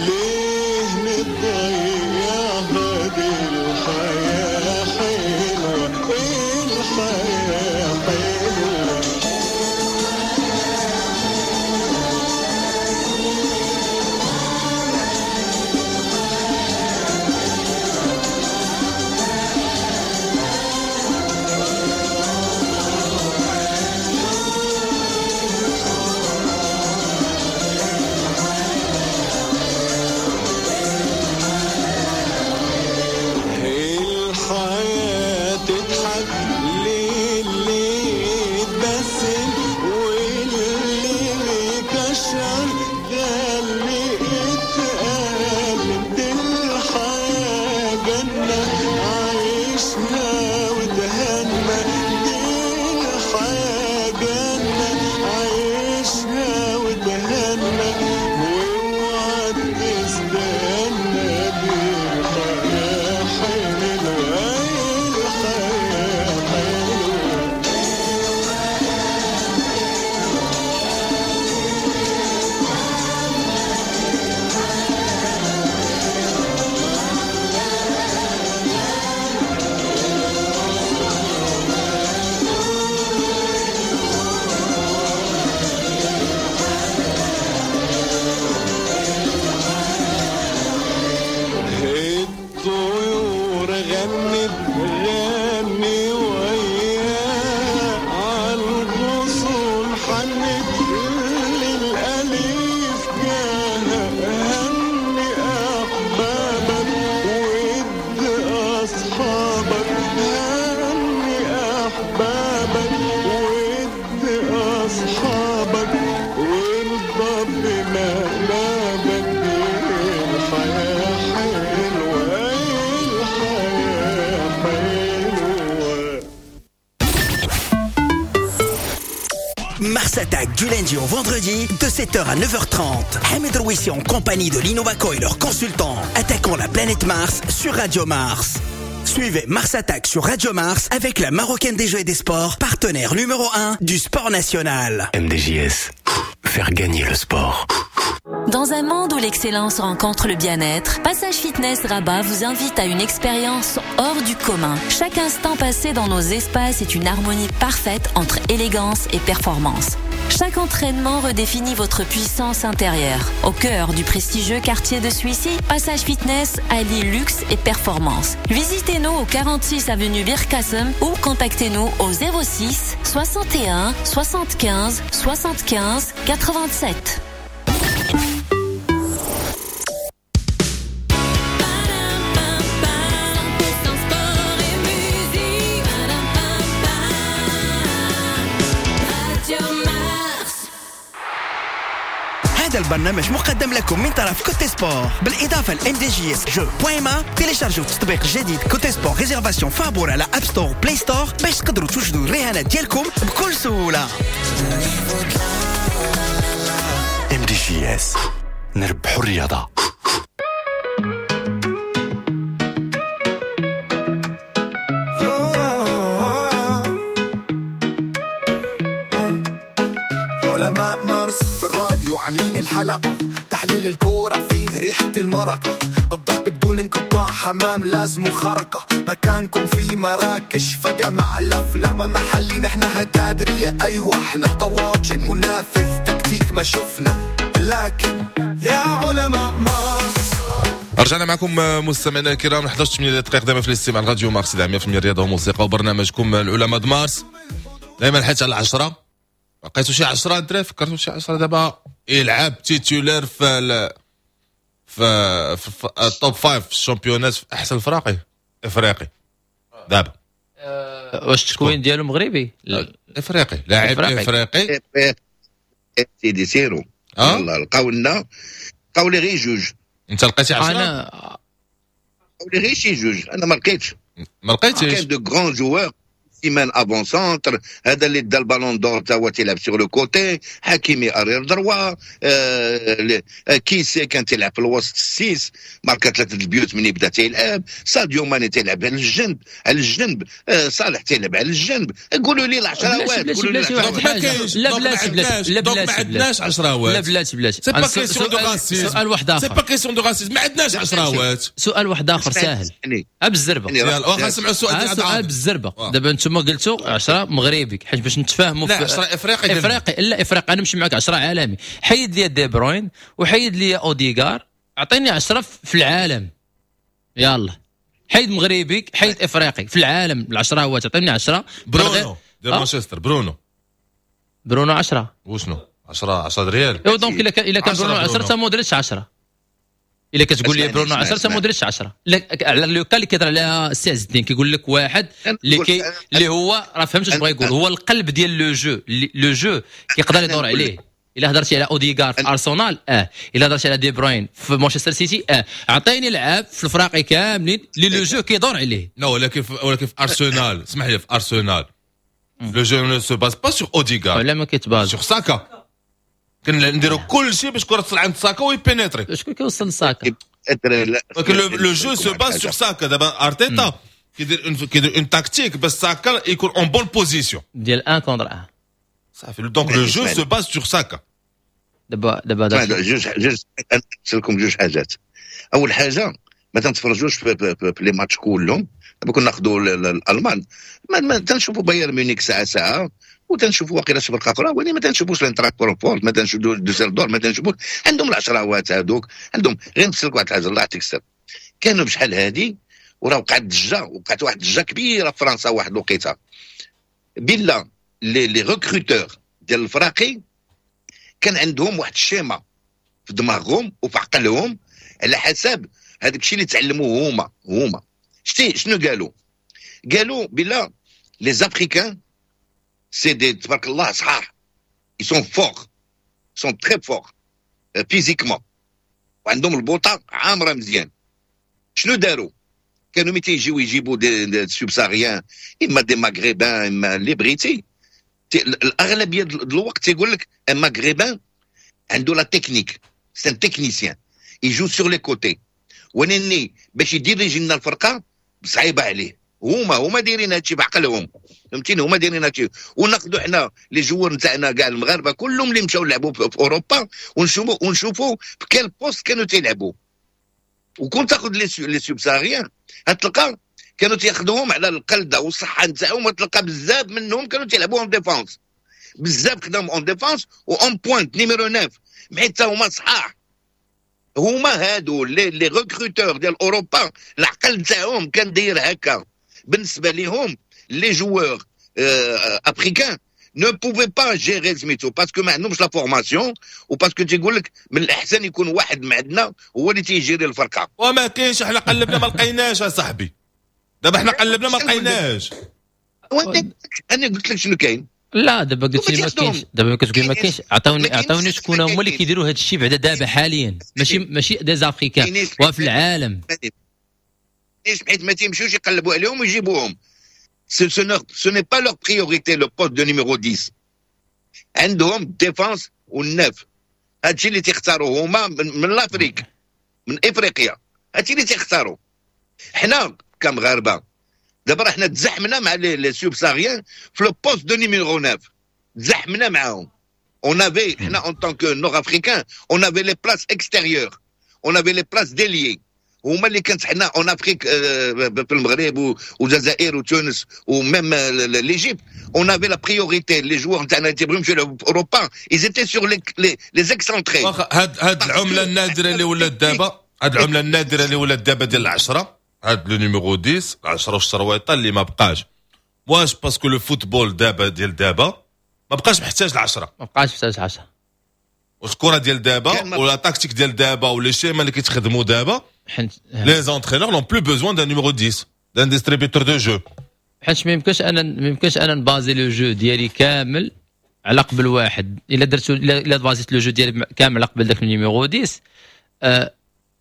ليه نضيعها دي الحياة حلوة الحياة. Mars Attack du lundi au vendredi de 7h à 9h30. Hamid Rouissi en compagnie de l'Innovaco et leurs consultants. Attaquons la planète Mars sur Radio Mars. Suivez Mars Attack sur Radio Mars avec la Marocaine des Jeux et des Sports, partenaire numéro 1 du sport national. MDJS, faire gagner le sport. Dans un monde où l'excellence rencontre le bien-être, Passage Fitness Rabat vous invite à une expérience hors du commun. Chaque instant passé dans nos espaces est une harmonie parfaite entre élégance et performance. Chaque entraînement redéfinit votre puissance intérieure. Au cœur du prestigieux quartier de Souissi, Passage Fitness allie luxe et performance. Visitez-nous au 46 avenue Birkassem ou contactez-nous au 06 61 75 75 87. هذا البرنامج مقدم لكم من طرف Cote Sport بالاضافة ل MDJS jeux point ma. تيليشارجيو تطبيق جديد Cote Sport réservation فابور على App Store Play Store باش تقدروا توجدوا الرهانات ديالكم بكل سهولة. MDJS نربحوا الرياضة. علماء مارس في الراديو عاملين الحلقة، تحليل الكورة فيه ريحة المرقة، الضرب بدون انقطاع، حمام لازم خرقة، مكانكم في مراكش فجمع الأفلام محلي، نحن هتادرية أيوة احنا طواجن منافذ تكتيك ما شفنا، لكن يا علماء مارس. رجعنا معكم مستمعينا الكرام 11 دقيقة دائما في الاستماع لراديو مارس 100% رياضة وموسيقى وبرنامجكم العلماء مارس. دائما حتى على 10 لقيتو شي 10 دراري، فكرتو شي 10 دابا يلعب titulaire في في ال top 5 في ال championnat في احسن الفراقي افريقي دابا. واش التكوين ديالو مغربي؟ افريقي، لاعب افريقي سيدي سيرو. يلا لقاو لنا، لقاو لي غير جوج. انت لقيتي 10؟ انا لقاو لي غير شي جوج، انا ما لقيتش. ما لقيتيش؟ كاين de grands joueurs، سيمان avant-centre، هذا اللي دا ال Ballon d'Or تا هو تيلعب sur le côté، حكيمي arrière droit، كيسي كان تيلعب في الوسط ال six، ماركا 3 البيوت من يبدا تيلعب، ساديو ماني تيلعب على الجنب، على الجنب، صالح تيلعب على الجنب. قولوا لي العشراوات، قولوا لي لا بلاتي بلاتي لا بلاتي، ما عندناش عشراوات. لا بلاتي بلاتي، c'est pas question de racisme. سؤال واحد اخر، c'est pas question de racisme، ما عندناش عشراوات. سؤال واحد اخر ساهل بالزربه، واخا نسمعوا السؤال ديال سؤال بالزربه. دابا انتم قلتوا 10 مغربي حيت باش نتفاهموا. لا 10 افريقي، افريقي لا افريقي، انا نمشي معك 10 عالمي. حيد لي دي بروين وحيد لي اوديغار، اعطيني 10 في العالم. يلا حيد مغربي حيد افريقي في العالم، العشرة هو تعطيني 10. برونو ديال مانشستر، برونو 10 وشنو 10 ريال. ايوا donc الا كان برونو 10 تا مودريتش 10. الا كتقول لي برونو 10 تا مودريتش 10. لا على le cas اللي كيهضر عليها السي عز الدين، كيقول لك واحد اللي كي اللي هو راه فهمت اش بغا يقول، هو القلب ديال le jeu، le jeu كيقدر يدور عليه. الا هضرتي على اوديغار في ارسنال، الا هضرتي على دي بروين في مانشستر سيتي، عطيني لعاب في الفراقي كاملين اللي le jeu كيدور عليه. لا ولكن في ارسنال، اسمح لي، في ارسنال le jeu ne se base pas sur اوديغار، لا ما كيتباز sur ساكا. كنديروا كل شيء باش كره تصل عند ساكا ويبينيتري. شكون كيوصل لساكا؟ ولكن le jeu se base sur ساكا. دابا ارتيتا كيدير une tactique باش ساكا يكون en bonne position ديال 1 contre 1 صافي. donc le jeu se base sur ساكا. دابا جوج نسلكم جوج حاجات. اول حاجة ما تنتفرجوش في les matchs كلهم. دابا كنا ناخذوا الالمان، ما تنشوفوا بايرن ميونيك ساعة ساعة، وتنشوفوا واقيلا شي فرقه اخرى، ولكن ما تنشوفوش الانتراك فرانكفورت، ما تنشوفوش دوسلدور، ما تنشوفوش. عندهم العشراوات هذوك، عندهم. غير نفسرك واحد الحاجة الله يعطيك السر، كانوا بشحال هادي وراه وقعت ضجه، وقعت واحد الضجة كبيرة في فرنسا واحد الوقيته، بلا les recruteurs ديال الفراقي كان عندهم واحد ال schéma في دماغهم وفي عقلهم على حسب هذاك الشيء اللي تعلموه هما. شتي شنو قالوا؟ قالوا بلا les Africains c'est des تبارك الله صحاح، ils sont forts، sont très forts physiquement، وعندهم البوطه عامرة مزيان. شنو داروا؟ كانوا ملي تيجيو يجيبوا des subsahariens، اما des Maghrébins اما اللي بغيتي، الاغلبية الوقت تيقول لك un maghrébin عنده la technique، c'est un technicien، il joue sur les côtés، ولكن باش يديريجي لنا الفرقة صعيبة عليه. هما دايرين هادشي بعقلهم، فهمتيني؟ هما دايرين هادشي. وناخذوا حنا les joueurs نتاعنا كاع المغاربة كلهم اللي مشاو لعبوا في اوروبا ونشوفوا في quel poste كانوا تيلعبوا. وكون تاخذ les subsahariens هتلقى كانوا تياخذوهم على القلده والصحة نتاعهم، وتلقى بزاف منهم كانوا تيلعبوا en défense، بزاف خداهم en défense و en pointe numéro 9، حيت هما صحاح. هما هادو les recruteurs ديال اوروبا العقل نتاعهم كان داير هكا. بالنسبة لهم les joueurs africains ne pouvaient pas gérer سميتو، parce que ما عندهمش la formation و parce que تيقول لك من الاحسن يكون واحد من عندنا هو اللي تيجيري الفرقه. وما كاينش، احنا قلبنا ما لقيناش اصاحبي، دابا احنا قلبنا ما لقيناش. انا قلت لك شنو كاين. لا، دابا قلت لي ما كاينش، دابا كتقول ما كاينش. عطاوني شكون هما اللي كيديروا هذا الشيء بعدا دابا حاليا، ماشي des africains وفي العالم. حيت ما تيمشيوش يقلبوا عليهم ويجيبوهم، ce n'est pas leur priorité le poste de numéro 10. عندهم défense وال neuf، هادشي اللي تيختاروا هما من l'Afrique، من افريقيا، هادشي اللي تيختاروا. حنا كمغاربه دابا راه حنا تزحمنا مع les subsahariens في le poste de numéro 9، تزحمنا معاهم. on avait حنا en tant que nord-africains on avait les places extérieures، on avait les places d'ailier. هما اللي كانت حنا en Afrique في المغرب والجزائر وتونس و même l'Égypte on avait la priorité. les joueurs نتاعنا تيبغيو يمشيو يلعبوا في اوروبا، ils étaient sur les excentrés. هاد العملة النادرة اللي ولات دابا، هاد العملة النادرة اللي ولات دابا ديال العشره، هاد le numéro 10، 10 والشرويطه اللي ما بقاش، واش parce que le football دابا ديال دابا ما بقاش محتاج العشرة؟ ما بقاش محتاج 10. واش الكره ديال دابا ولا tactique ديال دابا ولا les schémas اللي كيتخدموا دابا، les entraîneurs n'ont plus besoin d'un numéro 10، d'un distributeur de jeu؟ حيت ما يمكنش انا نبازي le jeu ديالي كامل على قبل واحد. الا درت الا بازيت le jeu ديالي كامل على قبل داك ال numéro 10،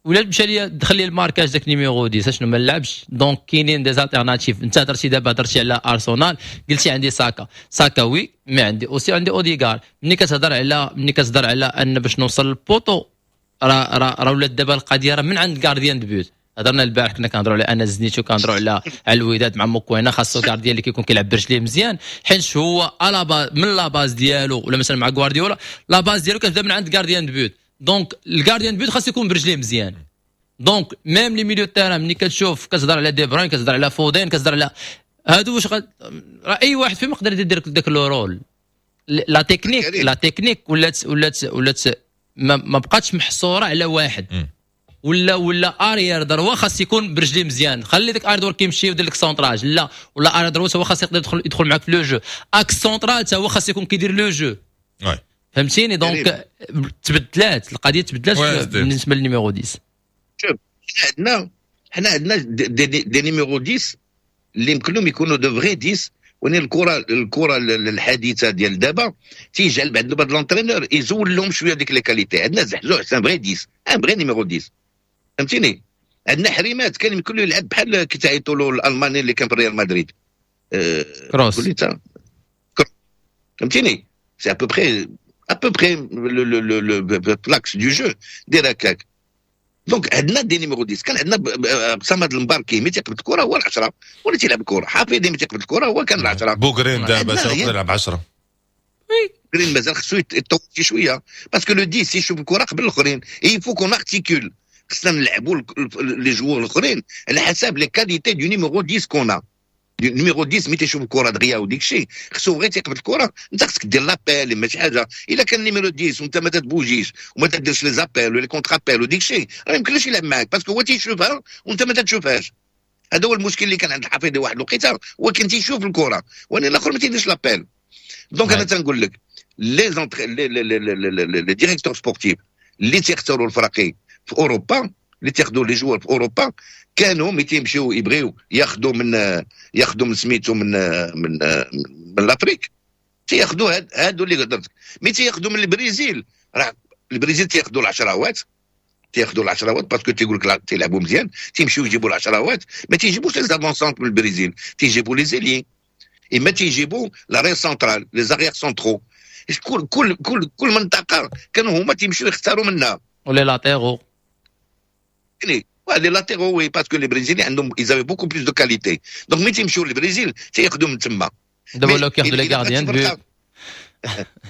ولا مشى لي دخل لي ال marquage داك numéro 10، شنو؟ ما نلعبش. donc كاينين des alternatives. انت هضرتي دابا، هضرتي على ارسنال، قلتي عندي ساكا. ساكا oui، mais عندي aussi عندي اوديغار. ملي كتهضر على ان باش نوصل لل poteau، راه ولات دابا القضية راه من عند gardien de but. هضرنا البارح، كنا كنهضروا على انس زنيتو، كنهضروا على الوداد مع موكوينا، خاصو gardien اللي كيكون كيلعب برجليه مزيان، حيت هو à la base من la base ديالو، ولا مثلا مع غوارديولا la base ديالو كتبدا من عند gardien de but. donc ال gardien de but خاص يكون برجليه مزيان. donc même les milieux terrain، ملي كتشوف كتهضر على دي بروين، كتهضر على فودين، كتهضر على هادو، واش راه اي واحد فيهم يقدر يدير داك le rôle. la technique ولات ما بقاتش محصورة على واحد ولا arrière droit خاص يكون برجليه مزيان. خلي داك arrière droit كيمشي ويدير لك centrage، لا، ولا arrière droit هو خاص يقدر يدخل معاك في le jeu، axe central هو خاص يكون كيدير le jeu، فهمتيني؟ donc تبدلات القضيه، تبدلات بالنسبة لل numéro 10. شوف، حنا عندنا des numéros 10 اللي يمكن لهم يكونوا de vrais 10، ولكن الكره الحديثة ديال دابا تيجعل بعد بعد l'entraîneur يزول لهم شوية ديك les qualités. عندنا زحزوح، c'est un vrai 10، un vrai numéro 10، فهمتيني؟ عندنا حريمات كان يمكن له يلعب بحال كي تعيطوا له الالماني اللي كان في ريال مدريد. كروس. فهمتيني؟ c'est à peu près l'axe du jeu دير هكاك. donc عندنا des numéros 10. كان عندنا صمد المباركي، ملي تيقبض الكره هو العشره، ولا تيلعب الكره حفيظي ملي تيقبض الكره هو كان العشره. بوغرين دابا يلعب 10. بوغرين مازال خصو يتطور شي شويه، parce que le 10 يشوف الكره قبل الاخرين. il faut qu'on articule، خصنا نلعبوا les joueurs الاخرين على حساب les qualités du numéro 10 qu'on a. numéro 10 ملي تيشوف الكره دغيا وديك الشيء، خصو غير تيقبض الكره، انت خصك دير l'appel ماشي حاجه. الا كان numéro 10 وانت ما تتبوجيش وما تديرش les appels ولا les contre-appels وديك الشيء، راه يمكنلوش يلعب معاك، parce que هو تيشوفها وانت ما تتشوفهاش. هذا هو المشكل اللي كان عند الحفيظي واحد الوقيته، هو كان تيشوف الكره وانا الاخر ما تيديرش l'appel. donc انا تنقول لك les directeurs sportifs اللي تيختاروا الفراقي في اوروبا، اللي تياخذوا les joueurs في اوروبا، كانوا ملي تيمشيو يبغيو ياخذوا من سميتو من l'Afrique، تياخذوا هادو اللي هضرت. mais تياخذوا من البرازيل، راه البرازيل تياخذوا العشراوات، تياخذوا العشراوات parce que تيقول لك تيلعبوا مزيان، تيمشيو يجيبوا العشراوات. ما تيجيبوش les avant-centres من البرازيل، تيجيبوا les ailiers. اما تيجيبوا l'arrière central، les arrières centraux. كل منطقة كانوا هما تيمشيو يختاروا منها. و les latéraux. يعني les latéraux، oui، parce que les Brésiliens عندهم ils avaient beaucoup plus de qualité، donc ملي تيمشيو للبرازيل تياخذوا من تما. دابا ولاو كياخذوا les gardiens de but.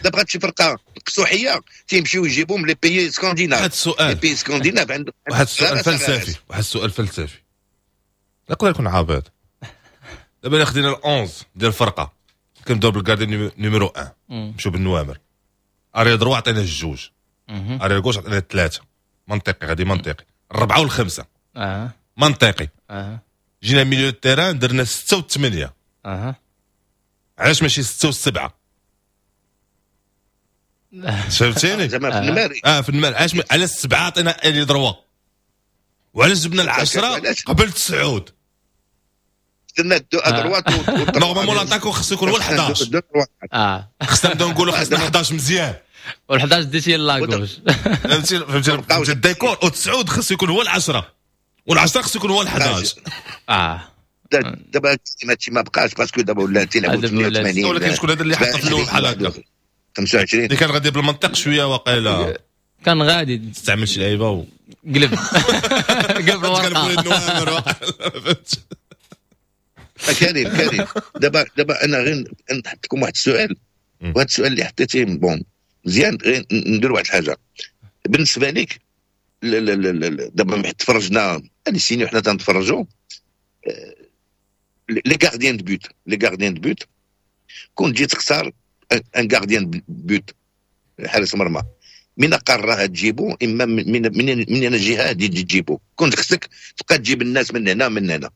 الا بغات شي فرقه قصوحيه تيمشيو يجيبوا من les pays scandinaves. واحد السؤال. les pays scandinaves عندهم واحد السؤال فلسفي، واحد السؤال فلسفي، يقدر يكون عابط. دابا الا خدينا ال 11 ديال الفرقه، كنبداو بال gardien numéro 1، نمشيو بالنوامر، arrière droit عطينا الجوج، arrière gauche عطينا الثلاثه، منطقي غادي منطقي، الربعه والخمسه. منطقي. جينا milieu terrain درنا ستة وثمانيه. علاش ماشي ستة وسبعه؟ فهمتيني؟ زعما في النماري. اه، في النماري. علاش على السبعة عطينا ailier droit؟ وعلاش جبنا العشرة قبل تسعود؟ درنا deux à droite. normalement l'attaquant خصو يكون هو ال 11. خصنا نبداو نقولوا خصنا 11 مزيان. وال 11 ديتي la gauche. فهمتي فهمتي فهمتي الديكور؟ وتسعود خصو يكون هو العشرة، والعشرة خصو يكون هو ال 11. دابا هادشي ما بقاش، parce que دابا ولا تيلعبوا 88. ولكن شكون هذا اللي حط في الاول بحال هكا؟ 25. اللي كان غادي بالمنطق شوية وقيلا. كان غادي. تستعمل شي لعيبة و قلب قلب الورقه. كريم كريم، دابا انا غير نحط لكم واحد السؤال، وهذا السؤال اللي حطيتيه bon مزيان. غير ندير واحد الحاجه. بالنسبة لك دابا تفرجنا هذه السنين وحنا تنتفرجوا les gardiens de but، les gardiens de but، كون تجي تختار un gardien de but، حارس مرمى، من قارة تجيبو؟ اما من الجهة هذه تجي تجيبو؟ كنت خصك تبقى تجيب الناس من هنا من هنا،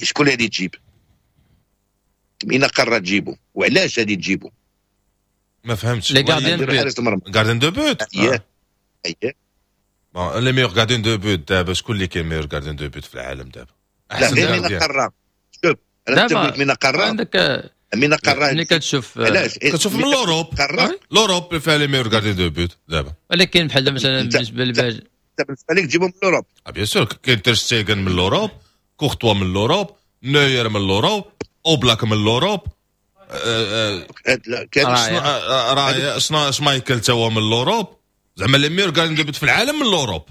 شكون اللي تجيب؟ من قارة تجيبو؟ وعلاش هذه تجيبو؟ ما فهمتش. les gardiens de but. gardien de but. اييه اييه. bon، les meilleurs gardiens de but دابا، شكون اللي كاين meilleur gardien de but في العالم دابا؟ لا، غير من قاره، شوف انا تقول من قاره. عندك من قاره. ملي كتشوف علاش؟ كتشوف من l'Europe، l'Europe فيها les meilleurs gardiens de but دابا. ولكن بحال مثلا بالنسبة للباج بالنسبة لك تجيبهم من l'Europe؟ bien sûr، كاين تير شتيغن من l'Europe، كورتوا من l'Europe، نوير من l'Europe، اوبلاك من l'Europe، رايا شنو شمايكل تا هو من l'Europe. زعما les meilleurs gardiens de but في العالم من l'Europe،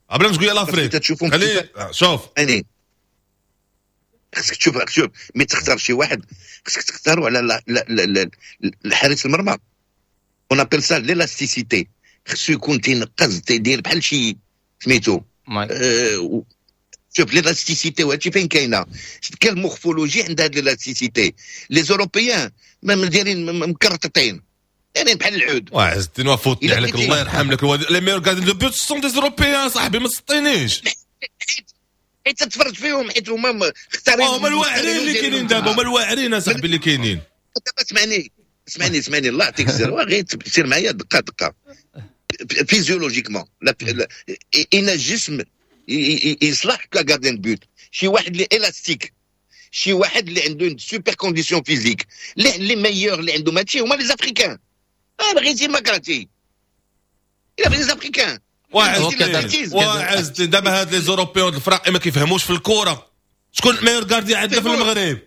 قبل ما تقول l'Afrique. خلي شوف. يعني خصك تشوف، شوف، mais تختار شي واحد خصك تختارو على الحارس المرمى، on appelle ça l'élasticité. خصو يكون تينقز، تيدير بحال شي سميتو. شوف l'élasticité، وهادشي فين كاينه؟ quelle morphologie عند هاد l'élasticité؟ les Européens ما دايرين مكرططين، دايرين بحال العود. وعز الدين وفوتني عليك، الله يرحم لك الوالدين. les meilleurs gardiens de but sont des Européens صاحبي، ما تسطينيش. حيت تتفرج فيهم، حيت هما اختارين. هما الواعرين اللي كاينين دابا، هما الواعرين اصاحبي اللي كاينين. دابا اسمعني اسمعني اسمعني، الله يعطيك السر، غير سير معايا دقه دقه. physiologiquement ان الجسم يصلح ك gardien de but، شي واحد اللي الاستيك، شي واحد اللي عنده super condition physique. les meilleurs اللي عندهم هادشي هما les Africains. بغيتي ما كرهتي الا les Africains. وعز دابا هاد les Européens الفرق ما كيفهموش في الكره. شكون meilleur gardien عندنا في المغرب؟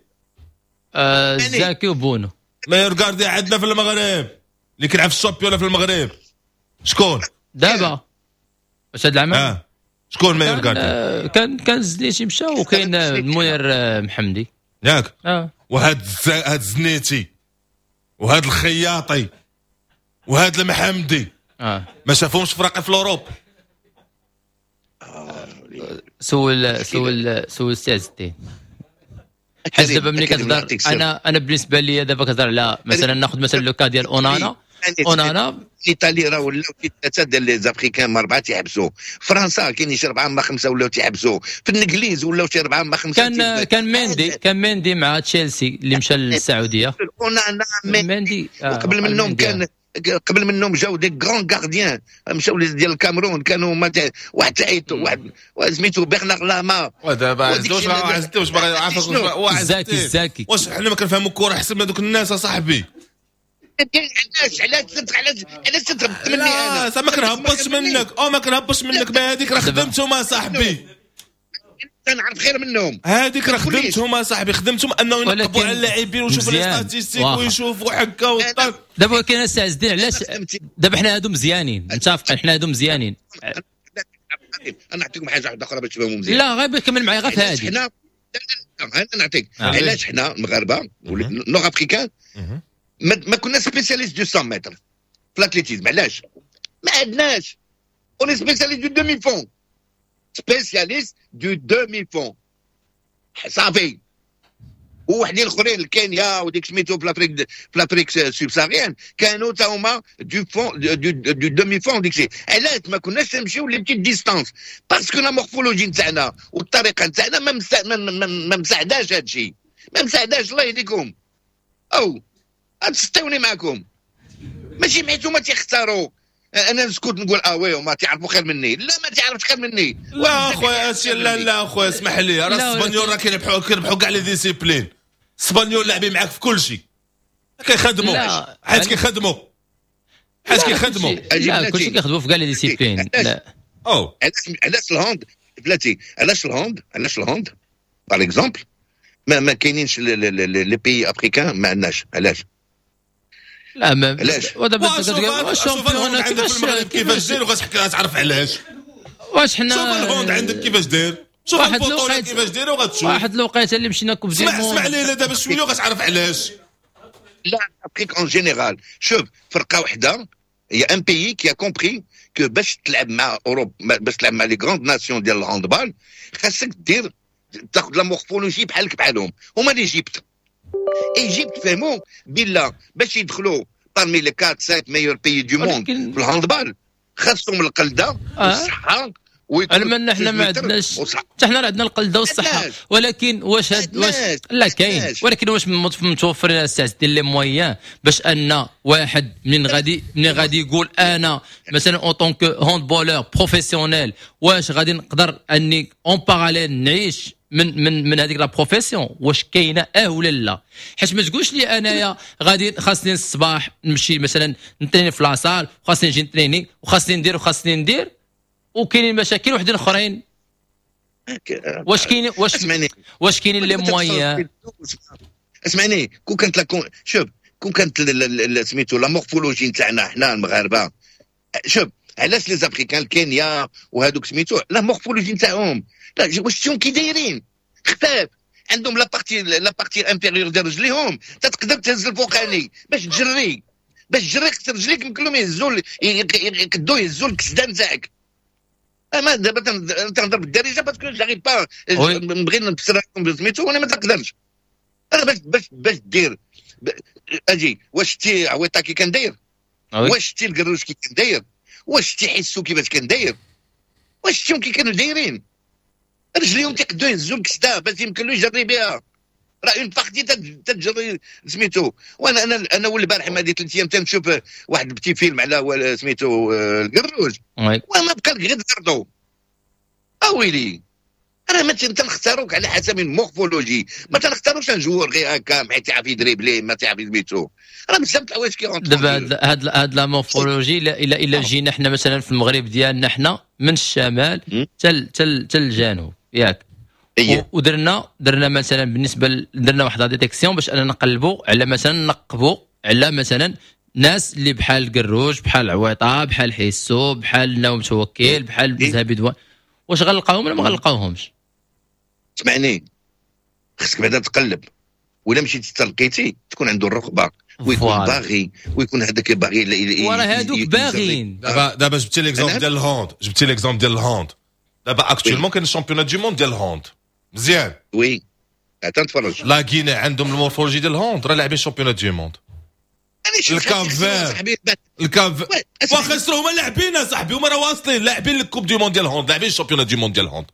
زاكي وبونو. meilleur gardien عندنا في المغرب اللي كيلعب في ال championnat في المغرب شكون؟ دابا واش هاد العام؟ آه. شكون meilleur gardien؟ كان الزنيتي مشى وكاين منير محمدي. ياك؟ اه. وهاد هاد الزنيتي وهاد الخياطي وهاد المحمدي ما شافهمش فراقي في l'Europe. سول سول سول سي عز الدين، حيت دابا ملي كتهضر، انا بالنسبة لي دابا كتهضر على مثلا، ناخذ مثلا le cas ديال اونانا، اونانا. ايطالي راه ولاو ثلاثة ديال les Africains ما اربعة تيحبسوا. فرنسا كاين شي اربعة ما خمسة ولاو تيحبسوا. في الانجليز ولاو شي اربعة ما خمسه. كان ميندي مع تشيلسي اللي مشى للسعوديه. اونانا، ميندي. وقبل منهم كان، قبل منهم جاو des grands gardiens مشاو ديال الكاميرون، كانوا ما واحد تعيط واحد سميتو برنار لاما. ودابا واش عزتي واش باغي عافاك؟ زاكي الزاكي. واش حنا ما كنفهموا الكره احسن من هذوك الناس اصاحبي؟ علاش علاش علاش علاش تهبط مني انا؟ لا، ما كنهبطش منك، او ما كنهبطش منك، ما هذيك راه خدمتهم اصاحبي. تنعرف خير منهم. هذيك راه خدمتهم اصاحبي، خدمتهم انه ينقبوا على اللاعبين ويشوفوا les statistiques ويشوفوا حكا والطاق. دابا كاين السي عز الدين، علاش دابا حنا هادو مزيانين، متفقين حنا هادو مزيانين. انا نعطيكم حاجة واحدة اخرى باش تفهموا مزيان. لا غير كمل معايا غير في هادي. حنا انا نعطيك علاش حنا المغاربة nord-africains ما كنا spécialistes du 100 متر في l'athlétisme. علاش ما عندناش؟ on est spécialiste du demi-fond، spécialiste du demi-fond صافي. ووحدين الاخرين الكينيا وديك سميتو في l'Afrique، في l'Afrique subsaharienne كانوا تا هما du fond، du demi-fond ديك الشيء. علاش ما كناش نمشيو les petites distances؟ parce que la morphologie نتاعنا والطريقة نتاعنا ما مساعداش هذا الشيء، ما مساعداش. الله يهديكم او تستوني معكم، ماشي حيت هما تيختاروا انا نسكت نقول اه oui هما تيعرفوا خير مني. لا ما تعرفش خير مني. لا اخويا لا لا اخويا اسمح لي، راه الاسبانيول راه كيربحوا كاع les disciplines. الاسبانيول لاعبين معاك في كل شيء، كيخدموا حيت كيخدموا، حيت كيخدموا. لا كلشي كيخدموا في كاع les disciplines. لا او علاش ال hand بلاتي، علاش ال hand، علاش ال hand par exemple ما كاينينش les pays africains ما عندناش؟ علاش؟ لا ما علاش؟ ودابا شوف ال hand عندك في المغرب كيفاش داير وغتعرف علاش. واش حنا شوف ال hand عندك كيفاش داير، شوف البطولة كيفاش دايرة وغتشوف. واحد الوقيته اللي مشينا coupe du اسمع اسمع لي دابا شوية وغتعرف علاش. لا Afrique en général، شوف فرقه وحده y a un pays qui a compris que باش تلعب مع اوروب، باش تلعب مع les grandes nations ديال ال handball، خاصك دير تاخذ la morphologie بحالك بحالهم. هما l'Égypte، Égypte فهموا بلا باش يدخلوا parmi les 4 5 meilleurs pays du monde في ال handball خاصهم القلده والصحة. علما حنا ما عندناش، حتى حنا عندنا القلده والصحه، ولكن واش هاد واش لا كاين، ولكن واش متوفرين الساعة ديال les moyens باش ان واحد من غادي يقول انا مثلا en tant que handballeur professionnel واش غادي نقدر اني en parallèle نعيش من هذيك la profession؟ واش كاينه اه ولا لا؟ حيت ما تقولش لي انايا غادي خاصني الصباح نمشي مثلا نتريني في la salle، وخاصني نجي نتريني، وخاصني ندير وخاصني ندير، وكاينين مشاكل وحدين اخرين. واش كاينين les moyens؟ اسمعني، كون كانت la شوف كون كانت سميتو la morphologie نتاعنا حنا المغاربه، شوف علاش les Africains الكينيا وهذوك سميتو la morphologie نتاعهم، لا واش شتيهم كي دايرين خفاف، عندهم la partie inférieure ديال رجليهم تقدر تهز الفوقاني باش تجري خص رجليك يمكن لهم يهزوا، يقدوا يهزوا الكسده نتاعك. اما دابا تنهضر بالدارجة parce que j'arrive pas نبغي نفسر لكم سميتو وانا ما تقدرش. انا باش دير اجي، واش شتي عويطه كي كان داير؟ واش شتي القروش كي كان داير؟ واش شتي حسو كيفاش كان داير؟ واش شتيهم كي كانوا دايرين؟ رجليهم تيقدروا يهزوا الكسده باش يمكن له يجري بها، راه une partie تتجري سميتو. وانا انا والبارح ما دي 3 ايام تنشوف واحد petit film على سميتو القروج، وما بقى لك غير تزردو. اويلي راه ما تنختاروك على حسب ال morphologie، ما تنختاروش un joueur غير هكا حيت تعرف يدريبلي ما تعرف سميتو، راه بزاف الحوايج كي دابا هاد la morphologie الا جينا حنا مثلا في المغرب ديالنا حنا من الشمال تل تل الجنوب ياك؟ إيه. ودرنا مثلا بالنسبة درنا واحد la détection باش اننا نقلبوا على مثلا نقبوا على مثلا ناس اللي بحال القروج، بحال عويطه، بحال حيسو، بحال ناوم توكيل، بحال مزهبي دوان، واش غنلقاهم ولا ما غنلقاوهمش؟ اسمعني، خصك بعدا تقلب، ولا مشيتي تلقيتي تكون عنده الرغبة ويكون باغي ويكون هذاك باغي. وراه هادوك باغيين. دابا جبتي l'exemple ديال ال hand، جبتي l'exemple ديال ال hand. دابا actuellement كاين ال championnat du monde ديال ال hand، مزيان؟ oui، تنتفرج. la Guinée عندهم ال morphologie ديال ال hand، راه لاعبين championnat du monde. ال Cap-Vert، ال Cap واخا خسروا هما لاعبين صاحبي، هما راه واصلين لاعبين ال coupe du monde ديال ال hand، لاعبين ال championnat du monde ديال ال hand.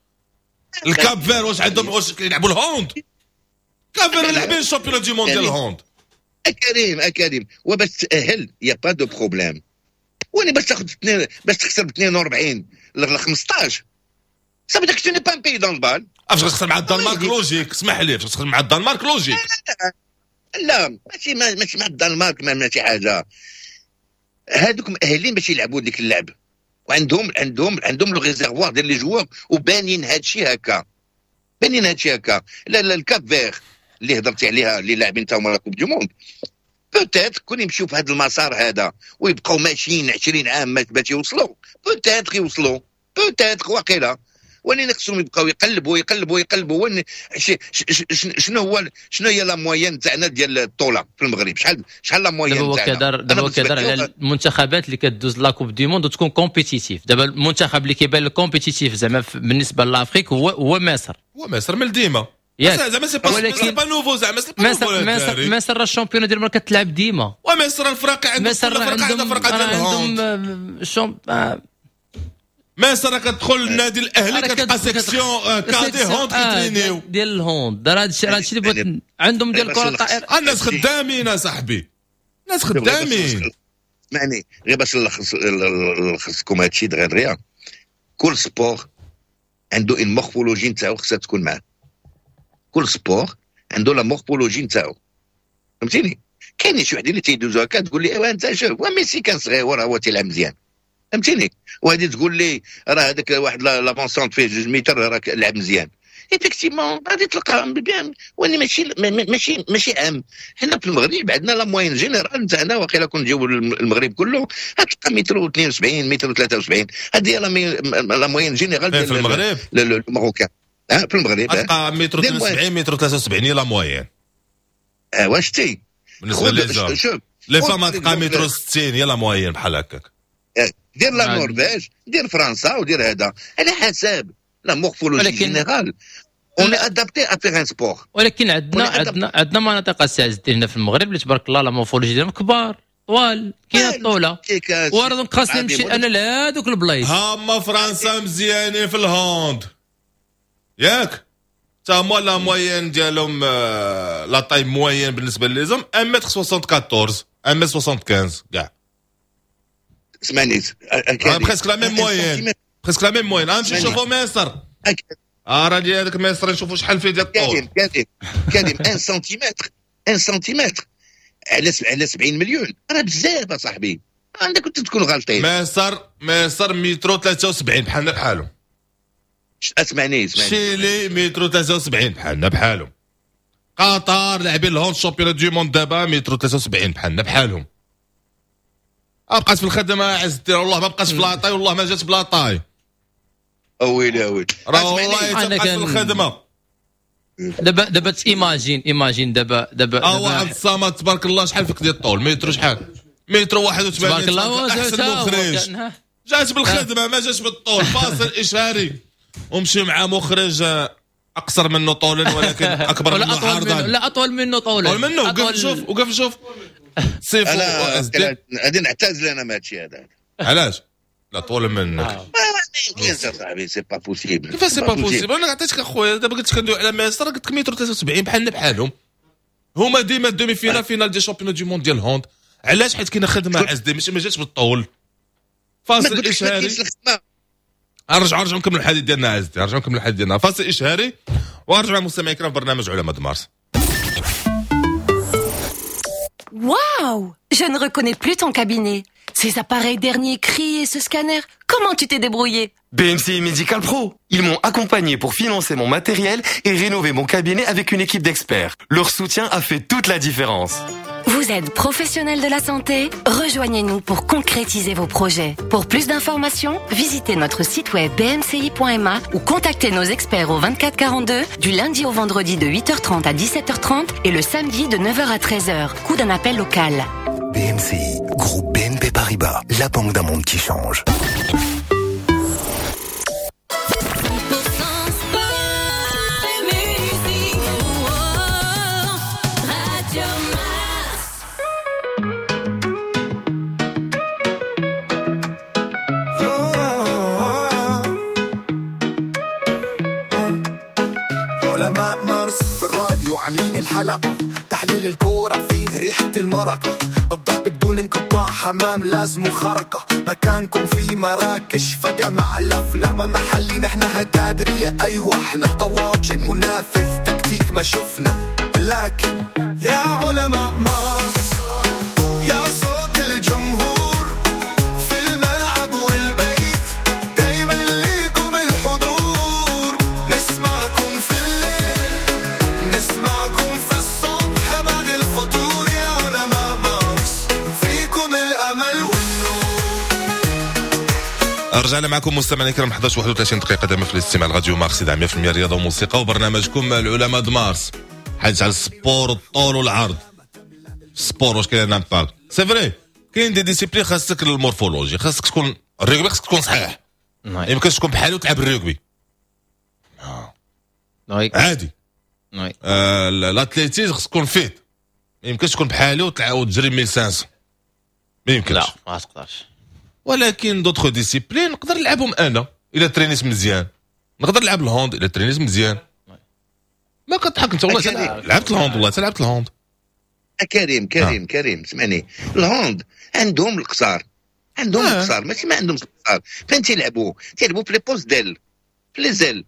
ال Cap-Vert واش عندهم، واش كيلعبوا ال hand؟ Cap-Vert لاعبين ال championnat du monde ديال ال hand. اكريم اكريم، وباش تاهل y a pas de problème، وانا باش تاخذ باش تخسر ب 42 ل 15 ça veut dire que tu n'es pas un pays d'handball. فاش غتخسر مع الدنمارك logique، اسمح لي، فاش تخسر مع الدنمارك logique. لا ماشي مع الدنمارك، ماشي حاجه. هادوك مؤهلين باش يلعبوا ديك اللعب وعندهم عندهم عندهم le réservoir ديال les joueurs وبانين هادشي هكا. بان لنا هادشي هكا. لا لا، ال Cap-Vert اللي هضرتي عليها اللي لاعبين تا هما la Coupe du Monde، peut-être كون يمشيو في هذا المسار هذا ويبقاو ماشيين 20 عام باش يوصلوا، peut-être يوصلوا، peut-être واقيلا. ولكن خصهم يبقاو يقلبوا يقلبوا يقلبوا. شنو هو، شنو هي la moyenne تاعنا ديال الطولة في المغرب؟ شحال la moyenne تاعنا؟ دابا هو كيهضر على المنتخبات اللي كدوز la Coupe du Monde وتكون compétitive. دابا المنتخب اللي كيبان لك compétitif زعما بالنسبة l'Afrique هو مصر. هو مصر من ديما زعما c'est pas nouveau، زعما c'est pas nouveau. مصر راه ال championnat ديال كتلعب ديما، ومصر الفرق عندهم فرقه ديال ال hand. مصر كتدخل النادي الاهلي كتلقى section cadets hand كيترينيو ديال ال hand. راه هادشي اللي بغيت عندهم ديال الكره الطائرة. الناس خدامين اصاحبي، الناس خدامين. اسمعني غير باش نلخص لكم هادشي دغيا. كل sport عنده une morphologie نتاعو خصها تكون معاه. كل sport عنده la morphologie نتاعو، فهمتيني؟ كاين شي وحدين اللي تيدوزو هكا تقول لي ايوا انت شوف ميسي كان صغير هو تيلعب مزيان، فهمتيني؟ وهذه تقول لي راه هذاك واحد l'avant-centre فيه 2 متر راه لعب مزيان. effectivement غادي تلقى bien، واني ماشي ماشي ماشي عام. حنا في المغرب عندنا la moyenne générale نتاعنا واقيلا كون نجيو المغرب كله غتلقى متر 72 متر 73. هذه هي la moyenne générale في المغرب ال marocain. في المغرب تلقى متر 72 متر 73 هي la moyenne. واش تي بالنسبة les hommes؟ les femmes تلقى متر 60 هي la moyenne بحال هكاك. دير la Norvège، دير فرنسا، ودير هذا على حساب la morphologie générale. on est adapté à faire un sport. ولكن عندنا مناطق السي عز الدين هنا في المغرب اللي تبارك الله la morphologie ديالهم كبار طوال، كاين الطولة وراه donc خاصني نمشي انا لهذوك البلايص. هما فرنسا مزيانين في ال hand ياك، تا هما la moyenne ديالهم la taille moyenne بالنسبة les hommes 1 متر 74 1 متر 75 كاع. اسمعني presque la même moyenne، presque la même moyenne. غنمشي نشوفو مصر، راه ديال هذاك مصر نشوفو شحال فيه ديال الطول. كريم كريم 1 سنتيمتر 1 سنتيمتر على 70 مليون راه بزاف اصاحبي، عندك كنت تكون غلطين. مصر مترو 73 بحالنا بحالهم. اسمعني شيلي مترو 73 بحالنا بحالهم. قطر لاعبين ال hand championnat du monde دابا مترو 73 بحالنا بحالهم. بقات في الخدمة عز الدين، والله ما بقاش في la taille، والله ما جات ب la taille. اويلي اويلي راه والله تبقى في الخدمة. دابا imagine دابا دابا عبد الصمد تبارك الله شحال فيك ديال الطول؟ متر شحال؟ متر 81 تبارك الله احسن مخرج. جات بالخدمة ما جاتش بالطول. فاصل اشهاري ومشي مع مخرج اقصر منه طولا ولكن اكبر منه عرضا. لا اطول منه طولا. اطول منه. وقف شوف، وقف شوف سيفو. غادي نعتزل انا من هادشي هذا. علاش؟ لا طول منك ما يمكنش اصاحبي، c'est pas possible. كيفاش c'est pas possible؟ انا عطيتك اخويا دابا قلت لك كندوي على مصر، قلت لك متر 73 بحالنا بحالهم. هما ديما demi-finale finale des championnats du monde ديال hand. علاش؟ حيت كاينه خدمة عز ماشي ما جاتش بالطول. فاصل اشهاري، نرجعوا نكملوا الحديث ديالنا عز، نرجعوا نكملوا الحديث ديالنا. فاصل اشهاري ونرجع مع المستمعين الكرام في برنامج علماء مارس. Waouh! Je ne reconnais plus ton cabinet. Ces appareils dernier cri et ce scanner, comment tu t'es débrouillé? BMCI Medical Pro. Ils m'ont accompagné pour financer mon matériel et rénover mon cabinet avec une équipe d'experts. Leur soutien a fait toute la différence. Vous êtes professionnel de la santé? Rejoignez-nous pour concrétiser vos projets. Pour plus d'informations, visitez notre site web bmci.ma ou contactez nos experts au 24 42 du lundi au vendredi de 8h30 à 17h30 et le samedi de 9h à 13h. Coût d'un appel local. BMCI, groupe BNP Paribas, la banque d'un monde qui change. عاملين الحلقة تحليل الكورة فيه ريحة المرقة، الضرب بدون انقطاع حمام لازم خرقة، مكانكم في مراكش فجأة مع الأفلام محلي نحن هتادرية. أيوة احنا طواجن منافس تكتيك ما شفنا، لكن يا علماء مارس يا صوت الجمهور في الملعب والبيت دايما ليكم الحضور، نسمعكم في رجعنا معكم مستمعينا الكرام، 11 31 دقيقة دائما في الاستماع لراديو مارس 100% رياضة وموسيقى، وبرنامجكم العلماء د مارس، حديث على ال sport والطول والعرض. sport واش كاين impact؟ c'est vrai كاين des disciplines خاصك ال morphologie، خاصك تكون الريغبي، خاصك تكون صحيح، يمكن تكون بحالي وتلعب الريغبي عادي. L'athlétisme خاصك تكون fit، ما يمكنش تكون بحالي وتلعب وتجري 1500، ما يمكنش. لا، ما تقدرش. ولكن d'autres disciplines نقدر نلعبهم انا الا ترينيت مزيان، نقدر نلعب ال hand الا ترينيت مزيان. ما كتضحك انت، والله لعبت ال hand، والله لعبت ال hand. كريم كريم كريم، اسمعني، ال hand عندهم القصار، عندهم القصار، ماشي ما عندهمش القصار. فين تيلعبوا؟ تيلعبوا في les postes d'aile، في les ailes،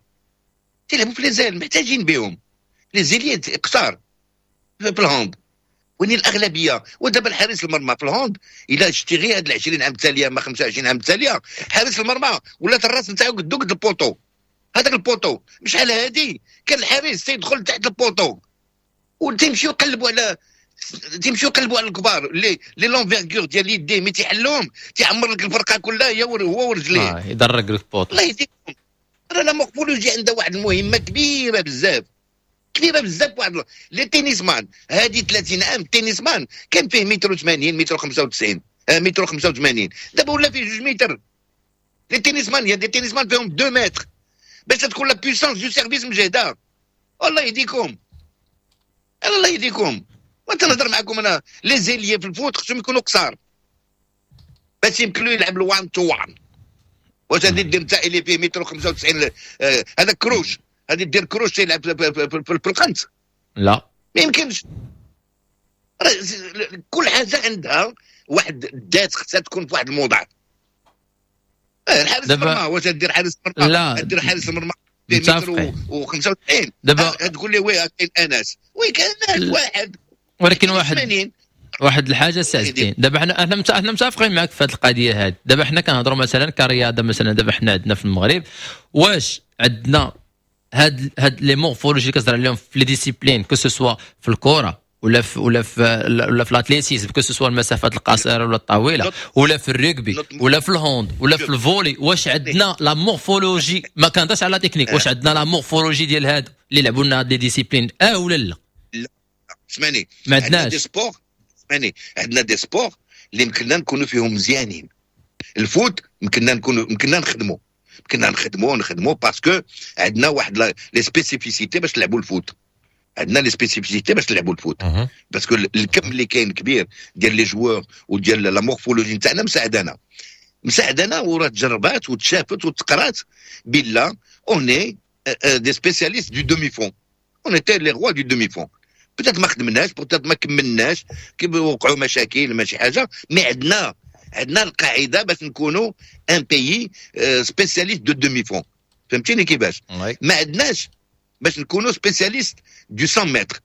تيلعبوا في les ailes، محتاجين بهم les ailiers قصار في ال hand. وين الاغلبيه؟ ودابا الحارس المرمى في ال hand، الا شتي غير هاد 20 عام التاليه، ما 25 عام التاليه، حارس المرمى ولات الراس نتاعو قدو قد ال poteau. هذاك ال poteau شحال هادي كان الحارس تيدخل تحت ال poteau وتيمشيو يقلبوا على الكبار les l'envergure ديال يديه، mais تيحلهم تيعمر لك الفرقة كلها هي هو ورجليه. يدرق لك poteau. الله يهديكم، راه la morphologie عندها واحد المهمة كبيرة بزاف، كبيرة بزاف. واحد les tennisman هذه 30 عام، tennisman كان فيه متر 80، متر 95، متر 85، دابا ولا فيه 2 متر. les tennisman، y a des tennisman فيهم 2 متر باش تكون la puissance du service مجهده. الله يهديكم، الله يهديكم. وانت نهضر معكم انا، les ailiers في ال foot خصهم يكونوا قصار باش يمكن له يلعب ال1 to 1. واش غادي دير انت اللي فيه متر 95، هذا كروش، غادي دير كروش يلعب في القنت؟ لا. ما يمكنش. كل حاجة عندها واحد الذات، خصها تكون في واحد الموضع. الحارس المرمى، واش دير حارس المرمى؟ لا. دير حارس المرمى متر و95؟ دابا تقول لي oui كاين انس، oui كاين انس واحد. ولكن واحد الحاجة سي، دابا حنا متفقين معك في هذه القضية هذه. دابا حنا كنهضروا مثلا كرياضه، مثلا دابا حنا عندنا في المغرب، واش عندنا هاد les morphologies اللي كتهضر عليهم في les disciplines، que ce soit في الكره ولا في l'athlétisme، que ce soit المسافات القصيرة ولا الطويله، ولا في الرugby ولا في ال hand ولا في ال volley، واش عندنا la morphologie؟ ما كنهضرش على تكنيك، واش عندنا la morphologie ديال هاد اللي لعبوا لنا هاد les disciplines ولا لا؟ لا، اسمعني. ما عندناش. des sports، اسمعني، عندنا des sports اللي يمكننا نكونوا فيهم مزيانين. ال foot يمكننا نخدموا parce que عندنا واحد les spécificités باش نلعبوا ال foot، عندنا les spécificités باش نلعبوا ال foot، parce que الكم اللي كاين كبير ديال les joueurs وديال la morphologie نتاعنا مساعدانا، وراه تجربات وتشافت وتقرات بلا on est des spécialistes du demi-fond، on était les rois du demi-fond. peut-être ما خدمناش، peut-être ما كملناش، كي وقعوا مشاكل ماشي حاجه، mais عندنا القاعدة باش نكونوا un pays spécialiste de demi-fond. فهمتيني كيفاش؟ ما عندناش باش نكونوا spécialistes du 100 متر.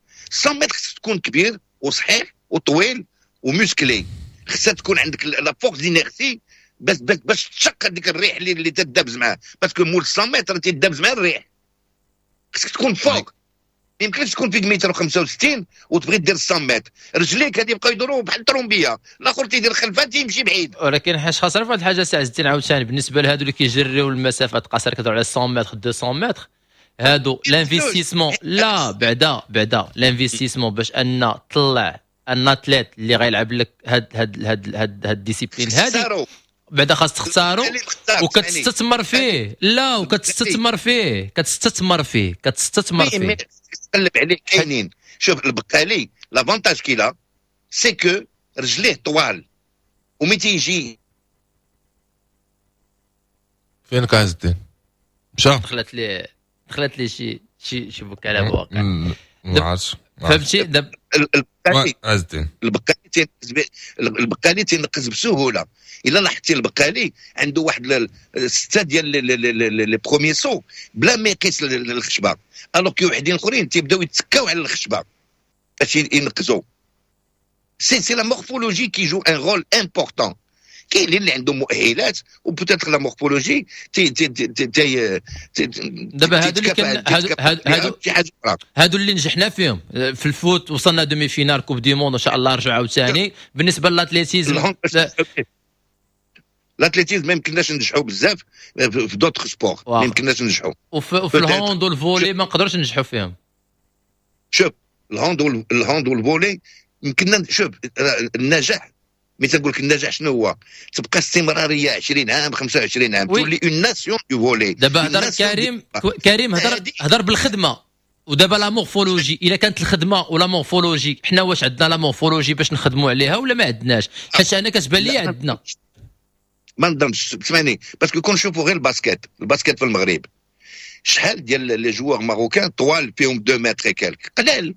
100 متر خصك تكون كبير وصحيح وطويل و musclé، خصها تكون عندك la force d'inertie باش تشق هذيك الريح اللي تدابز معاه، parce que مول 100 متر تيدابز مع الريح. خصك تكون fort، ما يمكنش تكون فيك متر 65 وتبغي دير 100 متر، رجليك غادي يبقاو يدوروا بحال الترومبيه، الاخر تيدير خلفه تيمشي بعيد. ولكن حاج خاصنا في واحد الحاجة سي عز الدين عاوتاني، بالنسبة لهادو اللي كيجريو المسافات قصيرة، كتهضروا على 100 متر، 200 متر، هادو l'investissement، لا، بعدا l'investissement باش ان طلع un athlète اللي غيلعب لك هاد discipline هادي، بعدا خاص تختارو وكتستثمر فيه، لا، وكتستثمر فيه، كتستثمر فيه، كتستثمر فيه. تقلب عليه كاينين. شوف البقالي، l'avantage qu'il a c'est que رجليه طوال ومي تيجي فينك عز الدين؟ مشى. دخلت لي شي بكاله واقع. ما عرفتش. فهمتي دابا؟ عز الدين. البقالي تينقز بسهوله. الا لاحظتي البقالي عنده واحد ستة ديال les premiers sauts بلا ما يقيس الخشبه، alors que وحدين اخرين تيبداو يتسكاو على الخشبة باش ينقزوا. c'est la morphologie qui joue un rôle important. كاين اللي عندهم مؤهلات و peut-être la morphologie تي تي تي تي دابا هادو اللي كان هادو شي حاجة اخرى. هادو اللي نجحنا فيهم في ال foot، وصلنا demi-finale coupe du monde، ان شاء الله رجعوا عاوتاني. بالنسبة ل l'athlétisme l'athlétisme ما يمكنناش ننجحوا بزاف في d'autres sports، ما يمكنناش ننجحوا. وفي ال hand وال volley ما نقدروش ننجحوا فيهم. شوف ال hand ال hand وال volley يمكننا. شوف النجاح، ملي تنقول لك النجاح شنو هو؟ تبقى استمرارية 20 عام، 25 عام، تولي une nation du volley. دابا هضر كريم، كريم هضر بالخدمه. ودابا la morphologie، الا كانت الخدمة و la morphologie، حنا واش عندنا la morphologie باش نخدموا عليها ولا ما عندناش؟ حيت انا كتبان لي عندنا. ما نظنش، سمعني، parce que كون نشوفوا غير ال basket، ال basket في المغرب شحال ديال les joueurs marocains طوال فيهم 2 mètres quelques؟ قلال.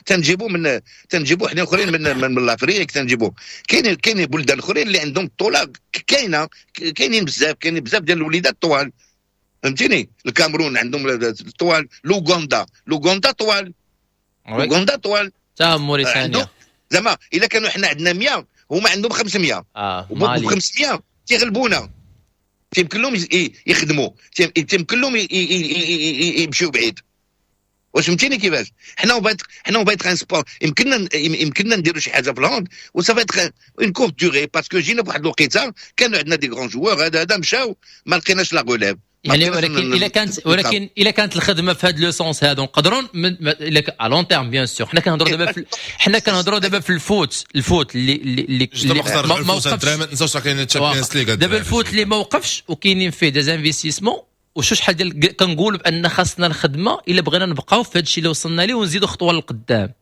تنجيبو من تنجيبو حنا اخرين من l'Afrique تنجيبو. كاين بلدان اخرين اللي عندهم الطولة كاينه، كاينين بزاف ديال الوليدات طوال، فهمتيني؟ الكاميرون عندهم الطوال، l'Ouganda طوال، l'Ouganda طوال. تا موريتانيا. زعما الا كانوا حنا عندنا 100، هما عندهم 500. مالي. 500 تيغلبونا. تيمكن لهم يخدموا، تيمكن لهم يمشيو بعيد. واش فهمتيني كيفاش؟ حنا on va être un sport، يمكننا نديروا شي حاجة في ال hand و ça va être une courte durée، parce que جينا بواحد الوقيته كانوا عندنا des grands joueurs، هذا مشاو، ما لقيناش la relève. يعني ولكن الا كانت الخدمة في هذا le sens هذا نقدروا à long terme، bien sûr. حنا كنهضروا دابا في ال foot، ال foot اللي ما وقفش. ما تنساوش كاين Champions League. دابا ال foot اللي ما وقفش وكاينين فيه des investissements وشو شحال ديال، كنقول بان خاصنا الخدمة الا بغينا نبقاو في هذا الشيء اللي وصلنا ليه ونزيدوا خطوة للقدام.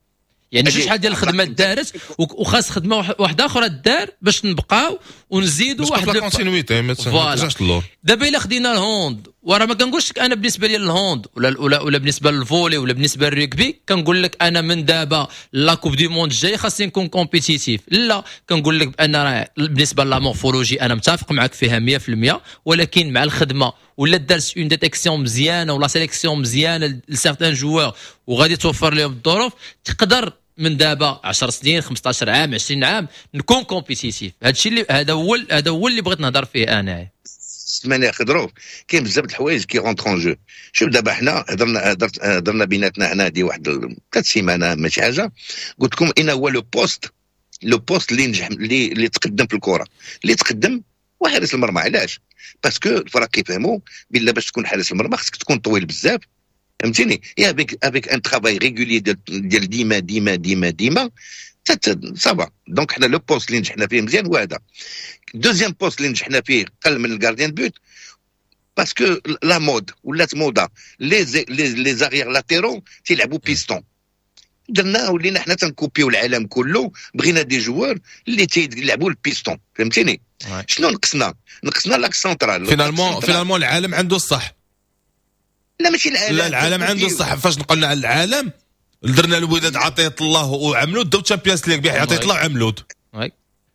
يعني شو شحال ديال الخدمة دارت وخاص خدمة واحدة اخرى دار باش نبقاو ونزيدوا واحد la continuité، ما ترجعش للور. دابا الا خدينا ال hand، وراه ما كنقولش لك انا بالنسبة لي ال hand ولا بالنسبة لل volley ولا بالنسبة للرugby كنقول لك انا من دابا la Coupe du monde الجاي خاصني نكون compétitif. لا، كنقول لك بان راه بالنسبة la morphologie انا متفق معك فيها 100%، ولكن مع الخدمة ولا دارت une détection مزيانه ولا sélection مزيانه ل certains joueurs وغادي توفر لهم الظروف، تقدر من دابا 10 سنين، 15 عام، 20 عام نكون compétitif. هذا الشيء اللي هذا هو اللي بغيت نهضر فيه انا. سمعني خضروف، كاين بزاف د الحوايج qui rentrent en jeu. شوف دابا حنا هضرنا بيناتنا حنا هادي واحد 3 سيمانه ماشي حاجه، قلت لكم اين هو le poste اللي نجح، اللي تقدم في الكره، اللي تقدم هو حارس المرمى. علاش؟ parce que الفرق كيفهموا بلا باش تكون حارس المرمى خصك تكون طويل بزاف، فهمتيني؟ et avec un travail régulier ديال ديما ديما ديما ديما ça va. donc حنا le poste اللي نجحنا فيه مزيان هو هذا. deuxième poste اللي نجحنا فيه قل من ال gardien de but، parce que la mode ولات موضة les arrières latéraux تيلعبوا بيستون. درنا ولينا حنا تنكوبيو العالم كله، بغينا des joueurs اللي تيلعبوا البيستون، فهمتيني؟ شنو نقصنا؟ نقصنا l'axe central. finalement العالم عنده الصح. لا، ماشي العالم. لا، العالم عنده الصح. فاش نقولنا على العالم، درنا الوداد عطية الله وعملود داو Champions League، عطية الله وعملود.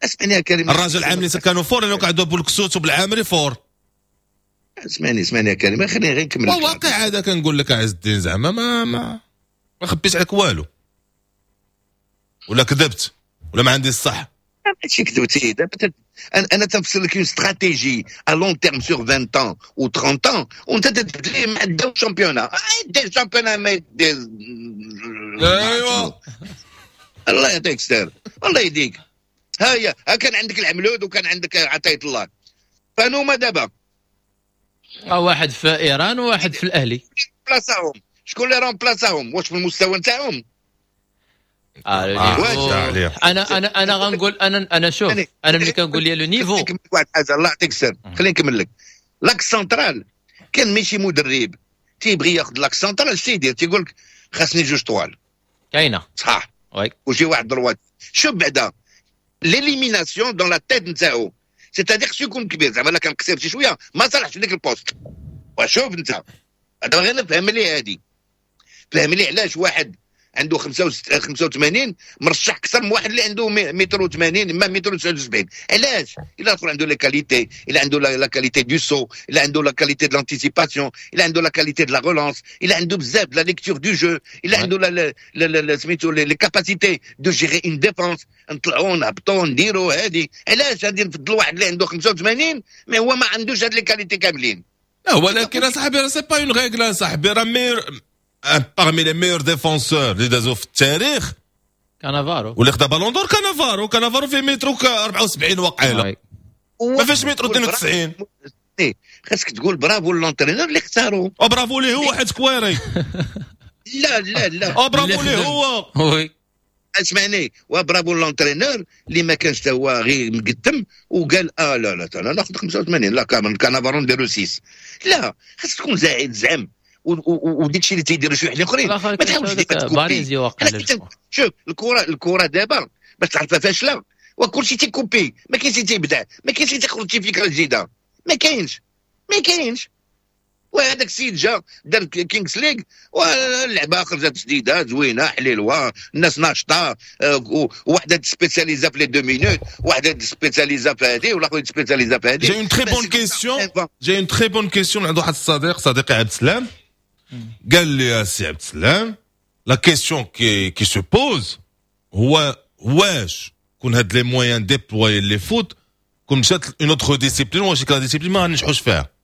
اسمعني يا كريم. الرجاء العام اللي كانوا forts لانه قعدوا بولكسوت وبالعامري fort. اسمعني اسمعني يا كريم، خليني غير نكمل. واقع هذا كنقول لك عز الدين، زعما ما خبيت عليك والو ولا كذبت ولا ما عندي الصح. ماشي كذبتي. دابا انا تنفسر لك une stratégie à long terme sur 20 ans ou 30 ans، وانت تتبدلي مع داو championnat، دي championnat ما دي. الله يعطيك الستر، الله يهديك. ها هي، ها كان عندك العملود وكان عندك عطية الله، فانوما دابا؟ واحد في ايران وواحد في الاهلي. بلاصاهم، شكون اللي remplaça هم؟ واش في المستوى نتاعهم؟ آه انا غنقول انا شوف، انا ملي كنقول لي le niveau واحد الحاجه، الله يعطيك السر، خليني نكمل لك. l'axe central كان ماشي مدرب تيبغي ياخذ l'axe central، اش تيدير؟ تيقول لك خاصني جوج طوال. كاينه. صح. oui. وشي واحد droite. شوف بعدا l'élimination dans la tête نتاعو، c'est-à-dire خصو يكون كبير، زعما لا كان قصير شي شوية ما صالحش ديك ال poste. وشوف انت هذا، غير نفهم لي هادي، فهم لي علاش واحد عنده 85 مرشح اكثر من واحد اللي عنده متر و80 ما متر 79؟ علاش؟ الا الاخر عنده les qualités، الا عنده la qualité du saut، الا عنده la qualité de l'anticipation، الا عنده la qualité de la relance، الا عنده بزاف la lecture du jeu، الا عنده la سميتو les capacités de gérer une défense، نطلعوا نهبطوا نديروا هادي. علاش غادي نفضل واحد اللي عنده 85 mais هو ما عندوش هاد les qualités كاملين؟ لا، ولكن اصاحبي c'est pas une règle صاحبي، راه meilleur parmi les meilleurs défenseurs اللي دازو في التاريخ كانافارو. واللي خدا Ballon d'Or كانافارو، كانافارو في مترو 74 وقيله. ما فيهش متر 92. خاصك تقول bravo l'entraîneur اللي اختاروا. برافو ليه هو حيت كويري. لا لا لا، برافو ليه هو. oui اسمعني، و bravo l'entraîneur اللي ما كانش تا هو غير مقدم وقال لا لا انا ناخذ 85، لا كانافارو نديرو 6. لا، خاصك تكون زاعد زعم وديك الشيء اللي تيديروا شي وحدين اخرين ما تحاولش دير copier. شوف الكره دابا باش تعرفها فاشلة، وكل شيء تي copier، ما كاينش اللي تيبدع، ما كاينش اللي تيخرج شي فكرة جديدة، ما كاينش. وهذاك السيد جا دار Kings League واللعبة خرجت جديدة زوينة حليلوه، الناس ناشطة، وحده spécialisée في les 2 minutes، وحده spécialisée في هذه، والاخر spécialisé في هذه. j'ai une très bonne question، j'ai une très bonne question عند واحد الصديق، صديقي عبد السلام، قال لي يا سي عبد السلام la question qui se pose هو واش كون هاد les moyens déployés le foot كون مشات une autre discipline، واش la discipline ما غنجحوش فيها؟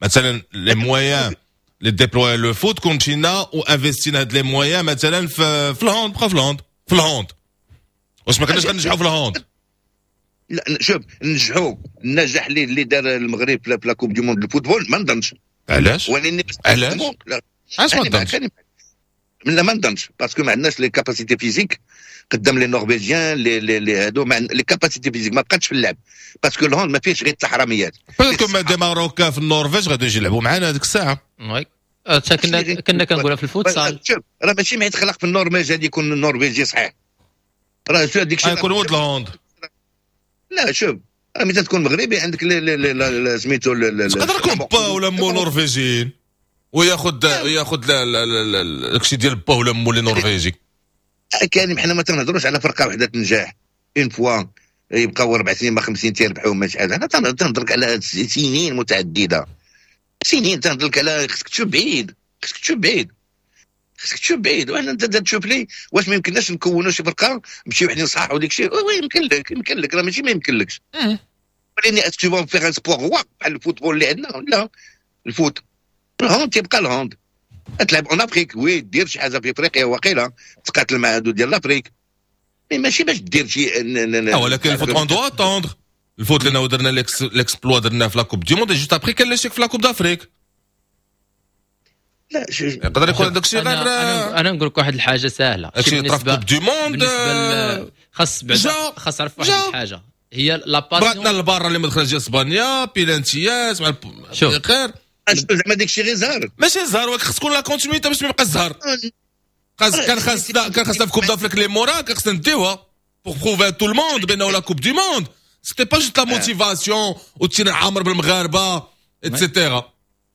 مثلا les moyens اللي déployés le foot كون مشينا و investi نا هاد les moyens مثلا في ال hand، بقى في ال hand، في ال hand، واش ما كناش غنجحوا في ال hand؟ لا شوف، نجحوا النجاح اللي دار المغرب في la Coupe du monde ال football ما نظنش. علاش؟ علاش؟ علاش ما نظنش؟ لا ما نظنش، parce que ما عندناش les capacités physiques قدام les Norvégiens، les هادو، les capacités physiques ما بقاتش في اللعب، parce que ال hand ما فيهش غير التحرميات. parce que des Marocains في النرويج غادي يجي يلعبوا معنا هذيك الساعة. oui، كنا كنقولها في الفوتسال. شوف راه ماشي ما يتخلق في النرويج هادي يكون النرويجي صحيح، راه شو هذيك الشيء يكون ولد ال hand. لا شوف، راه ملي تكون مغربي عندك سميتو تقدر يكون با ولا مو نرويجيين وياخذ داكشي ديال با ولا مو اللي نرويجي. كاين، حنا ما تنهضروش على فرقه وحده تنجح une fois يبقاو 4 سنين ما 5 تيربحوا ما شحال. حنا تنهضرك على سنين متعددة، سنين تنهضرك على خصك تشوف بعيد، خصك تشوف بعيد، خصك تشوف بعيد. وحنا انت تشوف لي واش ما يمكنناش نكونوا شي فرقه نمشيو وحدين صحاح وديك الشيء. oui يمكن لك، يمكن لك، راه ماشي ما يمكنلكش. ولكن est-ce que tu vas faire un sport roi بحال ال football اللي عندنا؟ لا، ال foot ال hand تيبقى ال hand. تلعب en Afrique، oui دير شي حاجة في افريقيا وقيله تقاتل مع هادو ديال l'Afrique، mais ماشي باش دير شي. ولكن ال foot on doit attendre ال foot، لانه درنا l'exploit درنا في la Coupe du monde، juste après كان l'échec في la Coupe d'Afrique. لا يقدر يكون هذاك الشيء غير. انا نقول لك واحد الحاجة سهلة، هادشي طرا في Coupe du monde. خاص بعدا خاص تعرف واحد الحاجة هي la passion. بغاتنا البارة اللي مدخل ديال اسبانيا بيلانتيات مع خير زعما داك الشيء غير زهر، ماشي زهر، ولكن خص تكون la continuité باش ما يبقاش الزهر. كان خاصنا في Coupe d'Afrique اللي مورا كان خصنا نديوها pour prouver à tout le monde بانه la Coupe du monde c'était pas juste la motivation وتينا عامر بالمغاربه et cetera.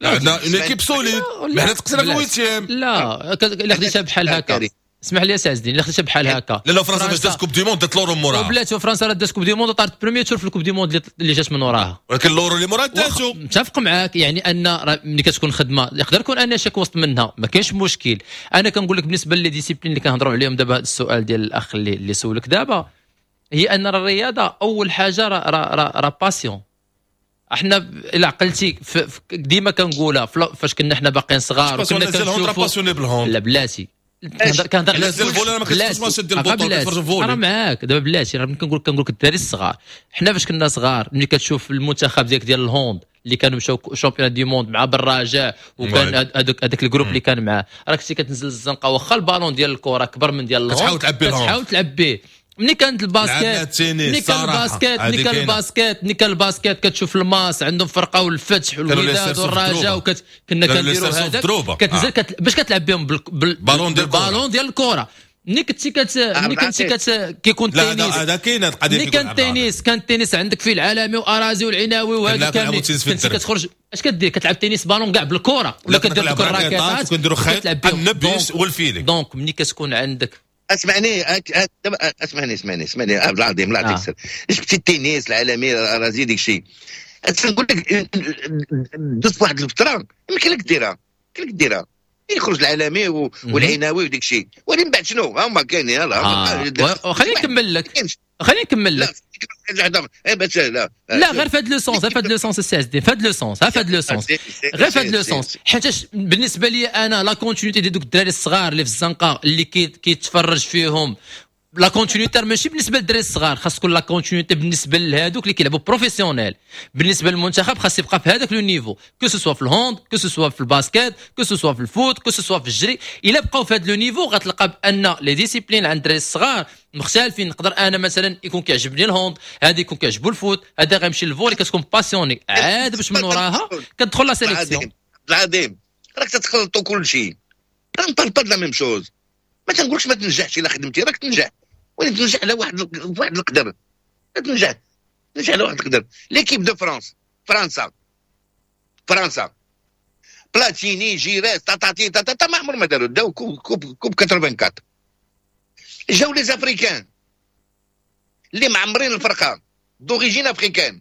عندنا une équipe solide، mais حنا تقصينا في ال huitième. لا الا خديتها بحال هكا، اسمح لي يا سي عز الدين، الا خديتها بحال هكا. لا فرنسا فاش دات Coupe du monde دات l'Euro موراها. وبلاتي فرنسا راه دات Coupe du monde طارت premier tour في ال Coupe du monde اللي جات من وراها، ولكن l'Euro اللي موراها داتو. متفق معاك، يعني ان ملي كتكون خدمة يقدر يكون un échec وسط منها، ما كاينش مشكل. انا كنقول لك بالنسبة les disciplines اللي كنهضروا عليهم دابا، هذا السؤال ديال الاخ اللي سولك دابا، هي ان الرياضة اول حاجة راه passion. احنا الى عقلتي ديما كنقولها فاش كنا حنا باقيين صغار وكنا كنشوفوا، لا بلاتي كنهضر على ال volley، ما كتشوفش ماتش ديال البطولة كتفرج volley. انا معاك دابا بلاتي، راه كنقول لك الدراري الصغار، حنا فاش كنا صغار ملي كتشوف المنتخب ديالك ديال ال hand اللي كانوا مشاو championnat du monde مع بالرجاء، وكان هذاك ال groupe اللي كان معاه، راك كنتي كتنزل الزنقة واخا البالون ديال الكره كبر من ديال ال hand كتحاول تلعب به، كتحاول تلعب به. ملي كانت ال basket، ملي كان ال basket، ملي كان ال basket، ملي كان ال basket كتشوف الماس عندهم فرقه والفتح والوداد والرجاء، كنا كنديروا هذاك كتنزل باش كتلعب بهم بالبالون ديال الكره. ملي كنتي ملي كنتي كيكون التنس، هذا كاين القضية، ملي كان التنس، كان التنس عندك فيه العالمي وارازي والعناوي وهذا كامل، كنتي كتخرج اش كدير؟ كتلعب tennis ballon كاع بالكرة ولا كدير دوك الراكيطات وكنديروا خيط النبيش وال filet. donc ملي كتكون عندك اسمعني اسمعني اسمعني اسمعني عبد العظيم، لا تكسر. جبتي التنس العالمي راه ديك الشيء، نقول لك دوز واحد الفترة يمكن لك ديرها، يمكن لك ديرها، يخرج العالمي والعناوي وديك الشيء، ولكن بعد شنو هما كاينين. يلاه خليني نكمل لك، خليني نكمل لك. لا غير في هذا le sens، غير في هذا le sens السي عز الدين، في هذا le sens، في هذا le sens، غير في هذا le sens. حيتاش بالنسبة لي انا la continuité ديال دوك الدراري الصغار اللي في الزنقة اللي كيتفرج فيهم la continuité ماشي بالنسبة للدراري الصغار، خاص تكون la continuité بالنسبة لهذوك اللي كيلعبوا professionnel. بالنسبة للمنتخب خاص يبقى في هذاك le niveau، que ce soit في ال hand، que ce soit في ال basket، que ce soit في ال foot، que ce soit في الجري. الا بقاو في هذا le niveau غتلقى بان les disciplines عند الدراري الصغار مختلفين. نقدر انا مثلا يكون كيعجبني ال hand، هذا يكون كيعجبو ال foot، هذا غيمشي لل volley، كتكون passionné عاد باش من وراها كتدخل la sélection. العظيم راك تتخلطوا كل شيء، راه parle pas la même chose. ما تنقولش ما تنجحش، الا خدمتي راك تنجح، ولكن تنجح على واحد القدر، تنجح على واحد القدر. l'équipe de France، فرنسا بلاتيني جيراس تاتاتي تاتا ما عمر ما داروا، داو coupe 84. جاو les Africains اللي معمرين الفرقة d'origine africaine،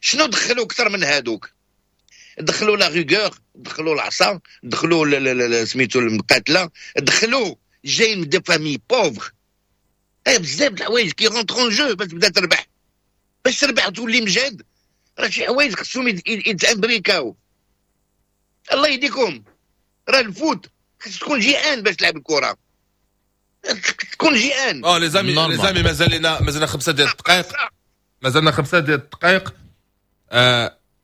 شنو دخلوا اكثر من هادوك؟ دخلوا la rigueur، دخلوا العصا، دخلوا سميتو المقاتلة، دخلوا جايين من des familles pauvres. اي بزاف د الحوايج qui rentrent en jeu باش تبدا تربح، باش تربح وتولي مجاد. راه شي حوايج خصهم يتامبريكاو. الله يهديكم، راه ال foot خص تكون جيعان باش تلعب الكره، تكون جيعان. les amis، les amis، مازال 5 ديال الدقائق، مازالنا 5 ديال الدقائق.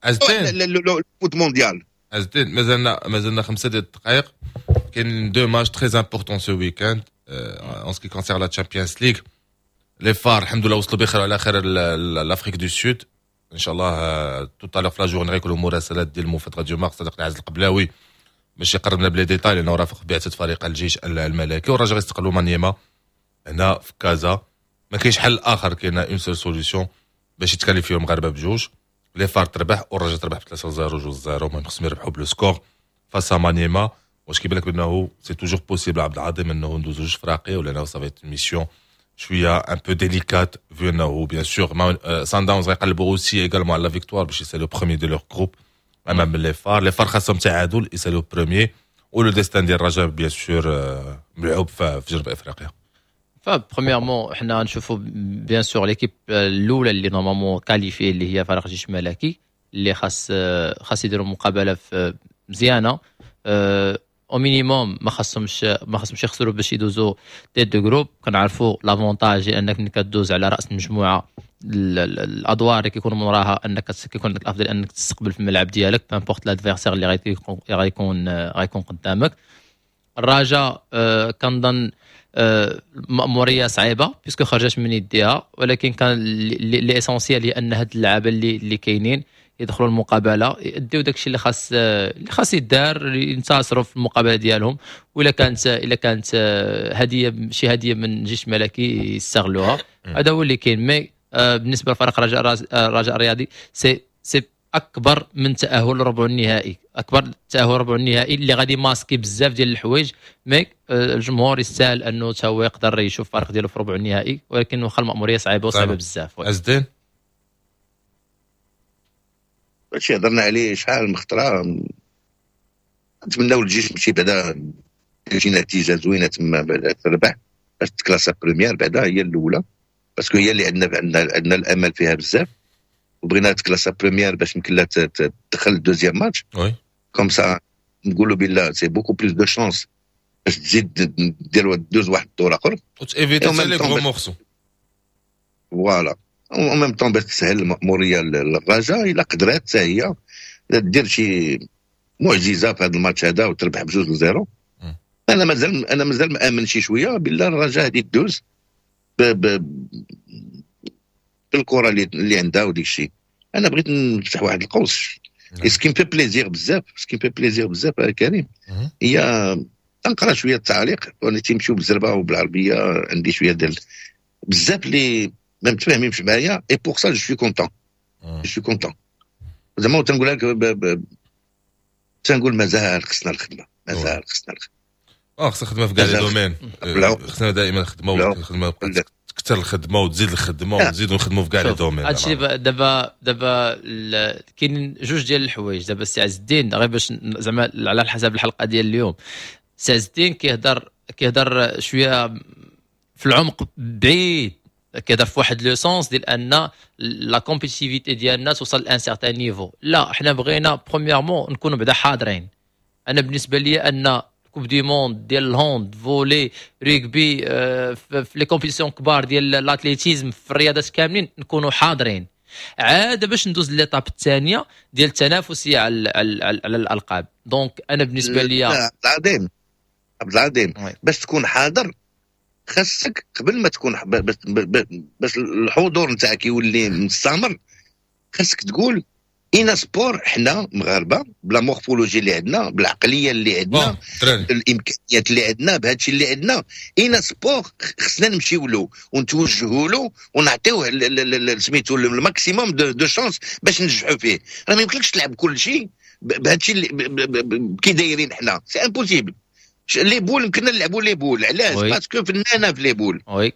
عزتين ال foot mondial، عزتين مازلنا 5 ديال الدقائق. كاين deux matchs très importants ce week-end en ce qui concerne la Champions League. les FAR الحمد لله وصلوا بخير وعلى خير l'Afrique du Sud. ان شاء الله tout à l'heure في la journée غيكونوا مراسلات ديال موفد راديو مارس صديقنا عز القبلاوي باش يقربنا ب les détails، لانه رافق بعثه فريق الجيش الملكي. والرجاء غيستقبلوا مانيما هنا في كازا. ما كاينش حل اخر، كاينه une seule solution باش يتكاليفيو المغاربة بجوج. les FAR تربح والرجاء تربح ب 3-0 2-0، المهم خصهم يربحوا ب le score face à مانيما. واش كيبان لك بانه c'est toujours possible عبد العظيم انه ندوزو جوج فراقي، ولا انه ça va être mission شوية un peu délicate، vu انه bien sûr سان داونز غيقلبوا aussi également على la victoire باش يسالو premier de leur groupe امام les FAR. les FAR خاصهم تعادل يسالو premier، و le destin ديال الرجاء bien sûr ملعوب في جنوب افريقيا. ف premièrement حنا نشوفوا bien sûr l'équipe الاولى اللي normalement qualifiée اللي هي فريق الجيش الملكي، اللي خاص يديروا مقابله مزيانه au minimum، ما خاصهمش يخسروا باش يدوزوا tête de groupe. كنعرفوا l'avantage انك ملي كدوز على راس المجموعة الادوار اللي كيكونوا من وراها انك كيكون عندك الافضل انك تستقبل في الملعب ديالك، peu importe l'adversaire اللي غيكون قدامك. الرجاء كنظن مأمورية صعيبة puisque خرجت من يديها، ولكن كان l'essentiel هي ان هاد اللعابه اللي كاينين يدخلوا المقابلة يديو داكشي اللي خاص يدار، ينتصروا في المقابلة ديالهم. ولا كانت الا كانت هديه، شي هديه من الجيش الملكي يستغلوها. هذا هو اللي كاين. mais بالنسبة لفريق الرجاء الرياضي c'est اكبر من تاهل ربع النهائي، اكبر تاهل ربع النهائي اللي غادي masquer بزاف ديال الحوايج. mais الجمهور يستاهل انه تا هو يقدر يشوف الفريق ديالو في ربع النهائي، ولكن واخا المأموريه صعيبة وصعيبه بزاف. عزدين هادشي هضرنا عليه شحال من خطره. نتمناو الجيش مشي بعدا شي نتيجة زوينة تما بعدا تربح باش تكلاسا première بعدا هي الاولى، parce que هي اللي عندنا الامل فيها بزاف، وبغينا تكلاسا première باش يمكن لها تدخل deuxième match. oui comme ça نقولوا بالله c'est beaucoup plus de chances باش تزيد دير دوز واحد الدور اخر وت éviter les gros morceaux. voilà en même temps باش تسهل المأمورية للرجاء الا قدرات حتى هي دير شي معجزه في هذا الماتش هذا وتربح ب2-0. انا مازال مامن شي شوية بالله الرجاء هذه دوز بالكرة اللي عندها وديك الشيء. انا بغيت نفتح واحد القوس ce qui me fait plaisir بزاف، ce qui me fait plaisir بزاف كريم، هي تنقرا شوية التعليق وانا تيمشيو بالزربه وبالعربيه، عندي شوية ديال بزاف اللي ما متفاهمينش معايا، et pour ça je suis content، je suis content زعما. تنقول لك تنقول مازال خصنا الخدمة، مازال خصنا الخدمة. خصنا خدمة في كاع les domaines، خصنا دائما خدمة وخدمه تكثر الخدمة وتزيد الخدمة ونزيدو نخدموا في كاع les domaines. هادشي دابا كاين جوج ديال الحوايج دابا السي عز الدين، غير باش زعما على حسب الحلقة ديال اليوم، السي عز الدين كيهضر شوية في العمق بعيد، كيهضر في واحد le sens ديال ان la compétitivité ديالنا توصل ل un certain niveau. لا، حنا بغينا premièrement نكونوا بعدا حاضرين. انا بالنسبة لي ان coupe du monde ديال ال hand، volley، rugby، في les compétitions كبار ديال l'athlétisme، في الرياضات كاملين نكونوا حاضرين، عاد باش ندوز l'étape الثانية ديال التنافسية على الالقاب. donc انا بالنسبة لي عبد العظيم، عبد العظيم، باش تكون حاضر خاصك قبل ما تكون، باش الحضور نتاعك يولي مستمر، خاصك تقول اين sport حنا مغاربة ب la morphologie اللي عندنا، بالعقليه اللي عندنا، الامكانيات اللي عندنا، بهذا الشيء اللي عندنا، اين sport خصنا نمشيو له ونتوجهوا له ونعطيوه سميتو ال maximum de chances باش ننجحوا فيه. راه ما يمكنلكش تلعب كل شيء بهذا الشيء اللي كي دايرين حنا، c'est impossible. les boules يمكننا نلعبوا les boules، علاش؟ parce que فنانة في les boules،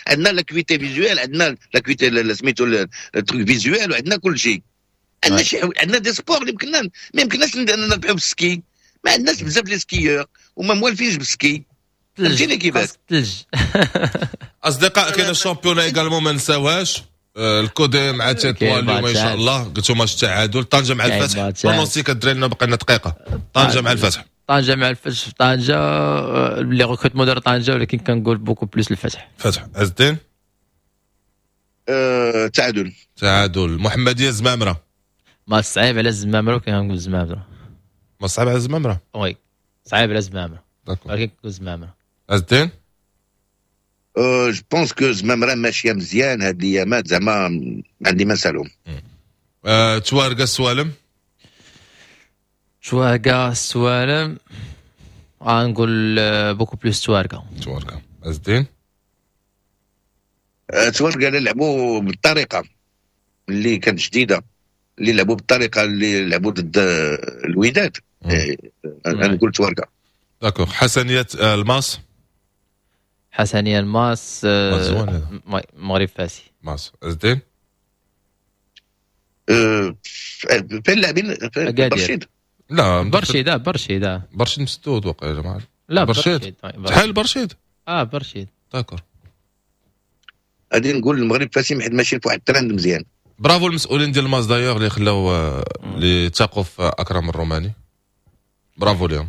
عندنا l'acuité visuelle، عندنا l'acuité سميتو ال truc visuel، وعندنا كل شيء. عندنا شي، عندنا des sports اللي يمكننا، ما يمكنناش نربحوا بال ski، ما عندناش بزاف les skieurs وما موالفينش بال ski، فهمتيني كيفاش؟ ثلج. اصدقاء، كاين ال championnat également، ما نساوهاش، الكودي مع تطوان اليوم ان شاء الله. قلتو ماتش التعادل. طنجه مع الفتح، pronostic الدراري، بقى لنا دقيقه. طنجه مع الفتح. طنجه مع الفتح في طنجه، les recrutements دار طنجه، ولكن كنقول beaucoup plus الفتح. فتح. عز الدين؟ تعادل. تعادل. محمديه زمامره. ما صعيب على الزمامره، ولكن كنقول زمامره. ما صعيب على الزمامره؟ oui، صعيب على الزمامره، ولكن كنقول زمامره. عز الدين؟ je pense que زمامرة ماشية مزيان هاد الايامات، زعما عندي ما نسالهم. توارقه السوالم. توارقه السوالم، غنقول beaucoup plus توارقه. توارقه. عز الدين؟ توارقه لعبوا بالطريقة اللي كانت جديده، اللي لعبوا بالطريقة اللي لعبوا ضد الوداد، انا نقول توارقه. d'accord. حسنيه الماس. حسنيه الماس، مغرب فاسي. ماس. عز الدين؟ فين لاعبين؟ برشيد. لا. برشيد، برشيد. برشيد مسدود وقع يا جماعه. لا. برشيد شحال برشيد؟ اه برشيد. d'accord. غادي نقول المغرب فاسي حيت ماشي في واحد الترند مزيان. برافو المسؤولين ديال الماس d'ailleurs اللي خلاو، اللي تاقوا في اكرم الروماني، برافو لهم.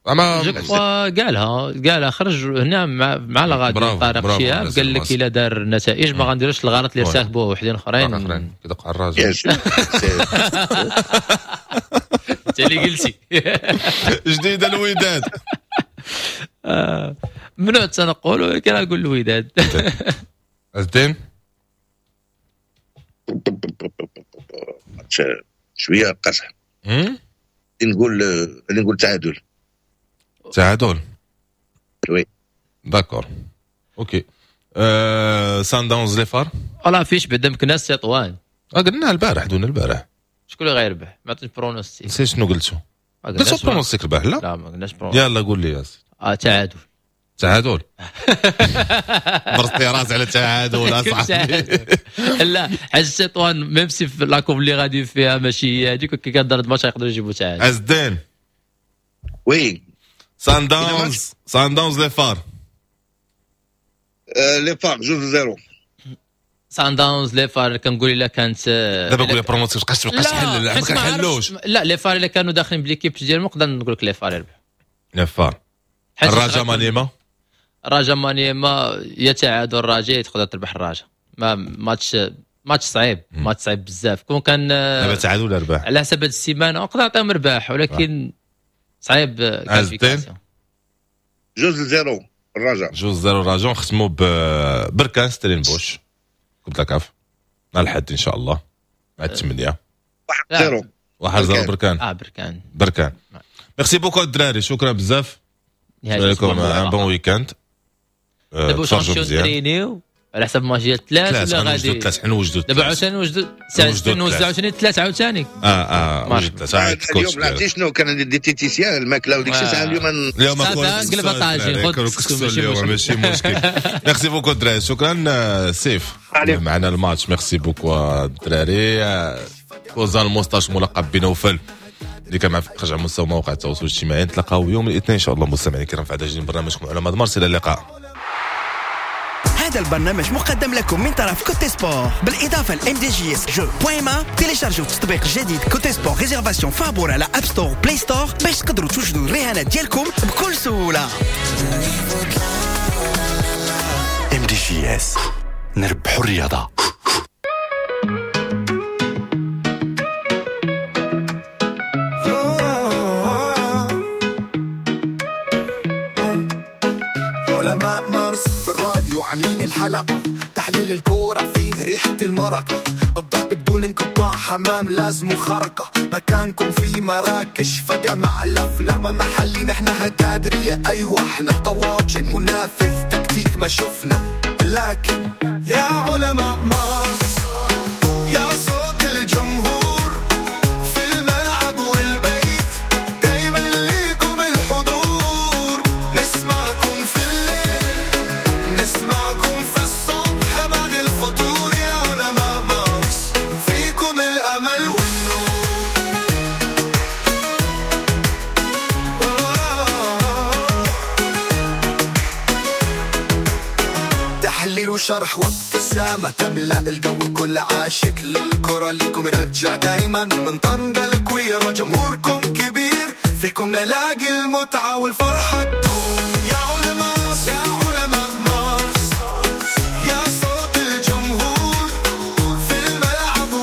اما je crois قالها قالها، خرج هنا مع la radio طارق شهاب، قال لك الا دار النتائج ما غنديروش الغلط اللي ارتكبوه وحدين اخرين. اخرين كيدق على الراجل. انت اللي قلتي. جديده، الوداد. ممنوع التنقل، ولكن نقول الوداد. الدين؟ شوية قصح، نقول تعادل. تعادل. oui. d'accord، OK. سان داونز les FAR. ولا فيش بعدا مكناس تطوان. قلنا البارح، دون البارح. شكون اللي غيربح؟ ما عطيتش pronostic. نسيت شنو قلتو. قلتو pronostic البارح؟ لا لا، ما قلناش pronostic. يلا قول لي يا سيدي. تعادل. تعادل. برتي راس على التعادل اصاحبي. لا، حيت تطوان même si في la courbe اللي غادي فيها ماشي هي هذيك، كي كدار الماتش يقدروا يجيبوا تعادل. عز الدين؟ oui. سان داونز، سان داونز les FAR. les FAR 2-0. سان داونز les FAR، كنقول الا كانت دابا قول لي pronostic، تبقاش تحلل، ما كنحلوش. لا، les FAR الا كانوا داخلين ب l'équipe ديالهم نقدر نقول لك les FAR يربح. les FAR. الرجاء مانيما. الرجاء مانيما، يا تعادل الرجاء تقدر تربح الرجاء. ما ماتش صعيب، ماتش صعيب بزاف. كون كان دابا تعادل ولا ربح على حسب هاد السيمانة نقدر نعطيهم رباح، ولكن صعيب. qualification. 2-0 الرجاء. 2-0 الرجاء. نختموا ببركان ستيلينبوش، coupe la CAF، نهار الحد ان شاء الله مع 8. 1-0. 1-0 بركان. بركان. بركان. merci beaucoup الدراري، شكرا بزاف لكم، un bon week-end. دابا واش غنمشيو نترينيو على حسب ماتش ديال الثلاث ولا غادي؟ ثلاث حنوجدوا. دابا عاوتاني نوجدوا ساعتين، نوزعوا عاوتاني الثلاث عاوتاني. وجد ثلاث. اليوم عرفتي شنو كان عندي diététicien، الماكلة وديك الشيء ساعة اليوم. اليوم قلب طاجين. خذ اليوم ماشي مشكل. merci beaucoup الدراري، شكرا سيف معنا الماتش. merci beaucoup الدراري. كوزان الموستاش ملقب بنوفل اللي كان مع خرج على مستوى مواقع التواصل الاجتماعي. نتلاقاو يوم الاثنين ان شاء الله مستمعينا الكرام في عدد جديد من برنامجكم علماء مارس. الى اللقاء. هذا البرنامج مقدم لكم من طرف Cote Sport، بالاضافة ل MDJS jeu point ma. تيليشارجيو تطبيق جديد Cote Sport réservation فابور على App Store، Play Store، باش تقدروا توجدوا الرهانات ديالكم بكل سهوله. MDJS، نربحوا الرياضه. علماء مارس في الراديو عاملين الحلقة، تحليل الكورة فيه ريحة المرقة، الضرب بدون انقطاع، حمام لازم خرقة، مكانكم في مراكش فجأة مع الأفلام محلي، نحن هتادرية، أيوة احنا طواجن، منافذ تكتيك ما شفنا، لكن يا علماء مارس يا صوت الجمهور في الملعب والبيت، دايما ليكم الحضور، نسمعكم في الليل، نسمعكم في الصبح بعد الفطور، يا علماء مارس فيكم الأمل والنور. تحليل وشرح وابتسامة تملأ الجو، كل عاشق للكرة ليكم يرجع دايما، من طنجة الكويرة جمهوركم كبير، فيكم نلاقي المتعة والفرحة.